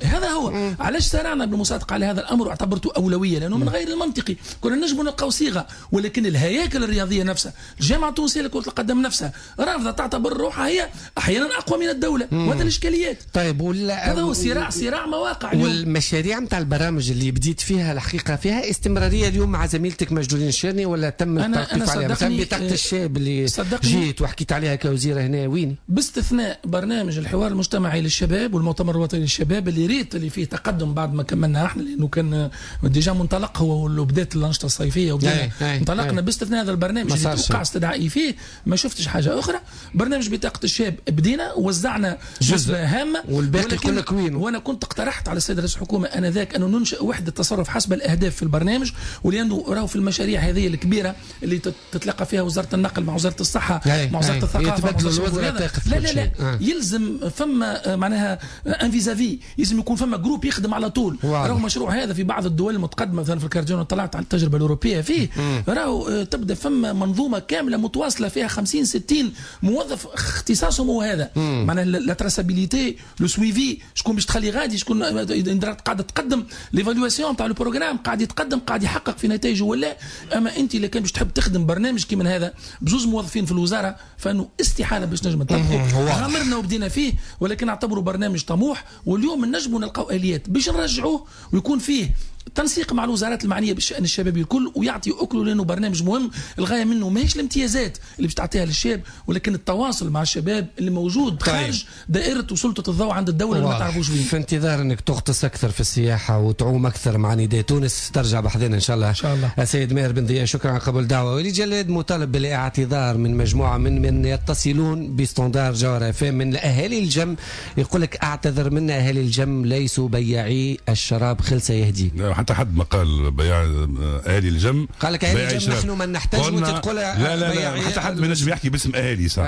هذا هو علاش سارعنا بالمصادقه على هذا الامر واعتبرته اولوية، لانه من غير المنطقي كنا نجموا نلقاو صيغة، ولكن الهياكل الرياضية نفسها، الجامعة التونسية لكرة القدم نفسها رافضه تعتبر روحها هي احيانا اقوى من الدولة، وهذا الاشكاليات. طيب هذا هو صراع مواقع. والمشاريع نتاع البرامج اللي بديت فيها الحقيقة فيها استمرارية اليوم مع زميلتك مجدولين الشيرني ولا تم التوقيف عليها؟ مثلا بطاقة الشاب اللي جيت وحكيت عليها كوزيره هنا وين؟ باستثناء برنامج الحوار المجتمعي للشباب والمؤتمر الوطني للشباب اللي ريت اللي فيه تقدم بعد ما كملنا احنا، لانه كان déjà منطلق هو اللي بدات الانشطة الصيفية وبدأنا انطلقنا. باستثناء هذا البرنامج اللي توقع استدعائي فيه ما شفتش حاجة اخرى. برنامج بطاقة الشاب بدينا وزعنا جزء هامة والباقي كله وين؟ وانا كنت اقترحت على السيد رئيس الحكومة انذاك انه ننشئ وحده تصرف حسب الاهداف في البرنامج، ولانه راهو في المشاريع هذه الكبيرة اللي تتلقى فيها وزارة النقل مع وزارة الصحة مع وزارة الثقافة مع لا لا لا يلزم فما معناها un vis-à-vis، يلزم يكون فما groupe يخدم على طول. راهو المشروع هذا في بعض الدول المتقدمة مثلا مثلا في الكارديون وطلعت على التجربة الاوروبية فيه، راهو تبدا فما منظومة كاملة متواصلة فيها 50 60 موظف اختصاصهم هو هذا، معناها la traçabilité، le suivi، شكون باش تخلي غادي، شكون قاعدة تقدم، l'évaluation تاع ال programme قاعد يتقدم، قاعد يحقق في نتائجه ولا. اما انت اذا كان باش تحب تخدم برنامج كيما هذا بزوز موظفين في الوزارة فانه استحالة باش نجم نطبقه. غامرنا وبدينا فيه، ولكن اعتبره برنامج طموح، واليوم نجموا نلقاو اليات باش نرجعوه ويكون فيه تنسيق مع الوزارات المعنية بالشان الشبابي الكل، ويعطي اكله، لانه برنامج مهم. الغاية منه ماهيش الامتيازات اللي باش تعطيها للشاب، ولكن التواصل مع الشباب اللي موجود خارج دائرة وسلطة الضوء عند الدولة اللي ما تعرفوش وين. في انتظار انك تغطس اكثر في السياحة وتعوم اكثر مع نداء تونس، ترجع بحذنا ان شاء الله. ان شاء الله. السيد ماهر بن ضياء، شكرا على قبول الدعوة. وليد جلاد مطالب بالاعتذار من مجموعة من يتصلون ب standard جوهرة FM من اهالي الجم، يقول لك اعتذر منا، اهالي الجم ليسوا بياعي الشراب خلسه يهدي. حتى حد ما قال بيع اهالي الجم، قال لك اهالي الجم نحن من نحتاج، وانت تقول لا لا لا، حتى حد ما ينجم يحكي باسم اهالي، صح؟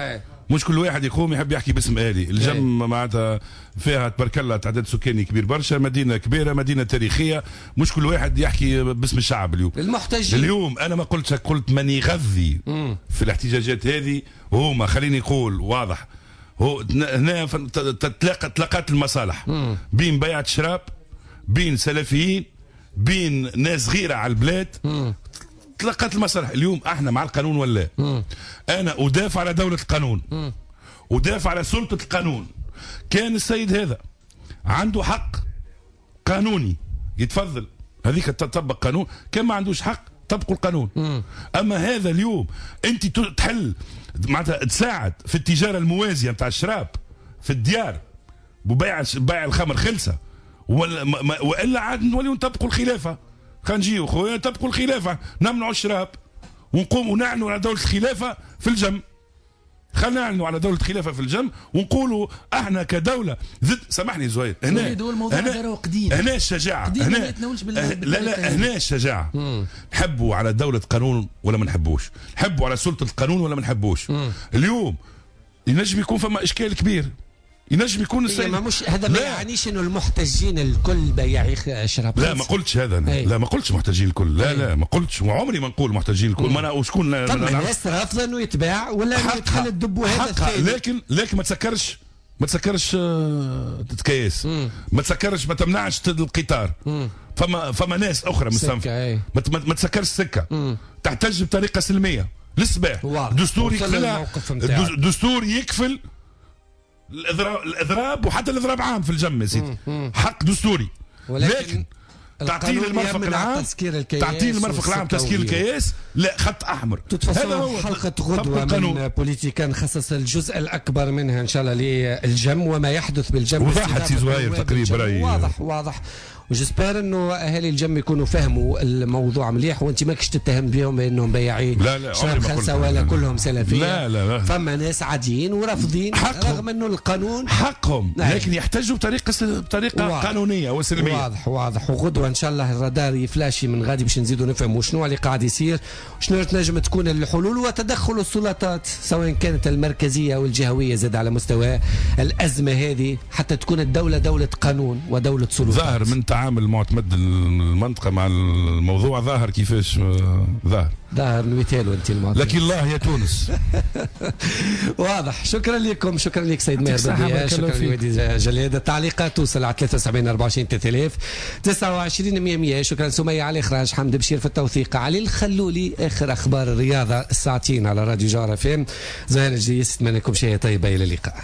مش كل واحد يقوم يحب يحكي باسم اهالي الجم. معناتها فيها تبارك الله تعداد سكاني كبير برشا، مدينة كبيرة، مدينة تاريخية، مش كل واحد يحكي باسم الشعب. اليوم المحتجين، اليوم انا ما قلتش، قلت من يغذي في الاحتجاجات هذه هما، خليني نقول واضح، هو هنا تلاقت المصالح بين بيعه شراب، بين سلفيين، بين ناس غيرة على البلاد. تلقت المصالح. اليوم احنا مع القانون ولا؟ انا ادافع على دولة القانون، ادافع على سلطة القانون. كان السيد هذا عنده حق قانوني يتفضل، هذيك تطبق قانون، كان ما عندوش حق طبقوا القانون. اما هذا اليوم انت تحل معناتها تساعد في التجارة الموازية نتاع الشراب في الديار وبيع بيع الخمر خلسة، والا عاد نوليو نطبقوا الخلافة. خلينا نجيو خويا نطبقوا الخلافة، نمنعوا الشراب ونقوم ونعلنوا على دولة الخلافة في الجم. خلينا نعلنوا على دولة الخلافة في الجم ونقولوا احنا كدولة ضد. سامحني زهير، هنا هنا قديم. هنا الشجاعة، هنا لا لا، هنا الشجاعة. نحبوا على دولة قانون ولا ما نحبوش، نحبوا على سلطة القانون ولا ما نحبوش. اليوم ينجم يكون فما اشكال كبير، ينجم يكون السيد ما مش هذا، ما يعنيش انه المحتجين الكل بياعي شراب. لا ما قلتش هذا أنا. لا ما قلتش محتجين الكل، لا لا ما قلتش، وعمري ما نقول محتجين الكل. ما انا وشكون طب الناس رافضه انه يتباع ولا انه يدخل الدب هذا، لكن ما تسكرش، ما تسكرش تكيس، ما تسكرش، ما تمنعش القطار. فما ناس اخرى مستنفذه، ما تسكرش السكة، تحتج بطريقة سلمية للصباح. دستور يكفلها، دستور يكفل الاضراب، وحتى الاضراب عام في الجم يا سيدي، حق دستوري، لكن تعطيه المرفق العام، تعطيه المرفق العام تسكير الكياس، لا خط احمر. هذا هو حلقة غدوه من بوليتيكا، نخصص الجزء الاكبر منها ان شاء الله للجم وما يحدث بالجم. وضحت سي زهير تقريبا رايي، واضح واضح، و j'espère انه اهالي الجم يكونوا فهموا الموضوع مليح، وانت ماكش تتهم بهم بانهم بياعين شراب خلسه ولا كلهم سلفية. لا لا لا، فما ناس عاديين ورافضين رغم انه القانون حقهم، لكن يحتجوا بطريقة قانونية وسلميه. واضح واضح. وغدوه ان شاء الله الرادار يفلاشي من غادي باش نزيدوا نفهموا شنو اللي قاعد يصير، شنو تنجم تكون الحلول، وتدخل السلطات سواء كانت المركزية او الجهوية زاد على مستوى الازمة هذه، حتى تكون الدولة دولة قانون ودولة سلطات. ظاهر من تعامل معتمد المنطقة مع الموضوع، ظاهر كيفاش ظاهر المثال وانت المعتمد. لكن الله يا تونس. واضح. شكرا لكم، شكرا لك سيد ماهر بن، شكرا لودي جلاد. التعليقات توصل على 73 24 3000 29 100. شكرا سمية على الاخراج، حمد بشير في التوثيق، علي الخلولي اخر اخبار الرياضة الساعتين على راديو جوهرة FM. زهير الجيس، اتمنى لكم شيء طيب، الى اللقاء.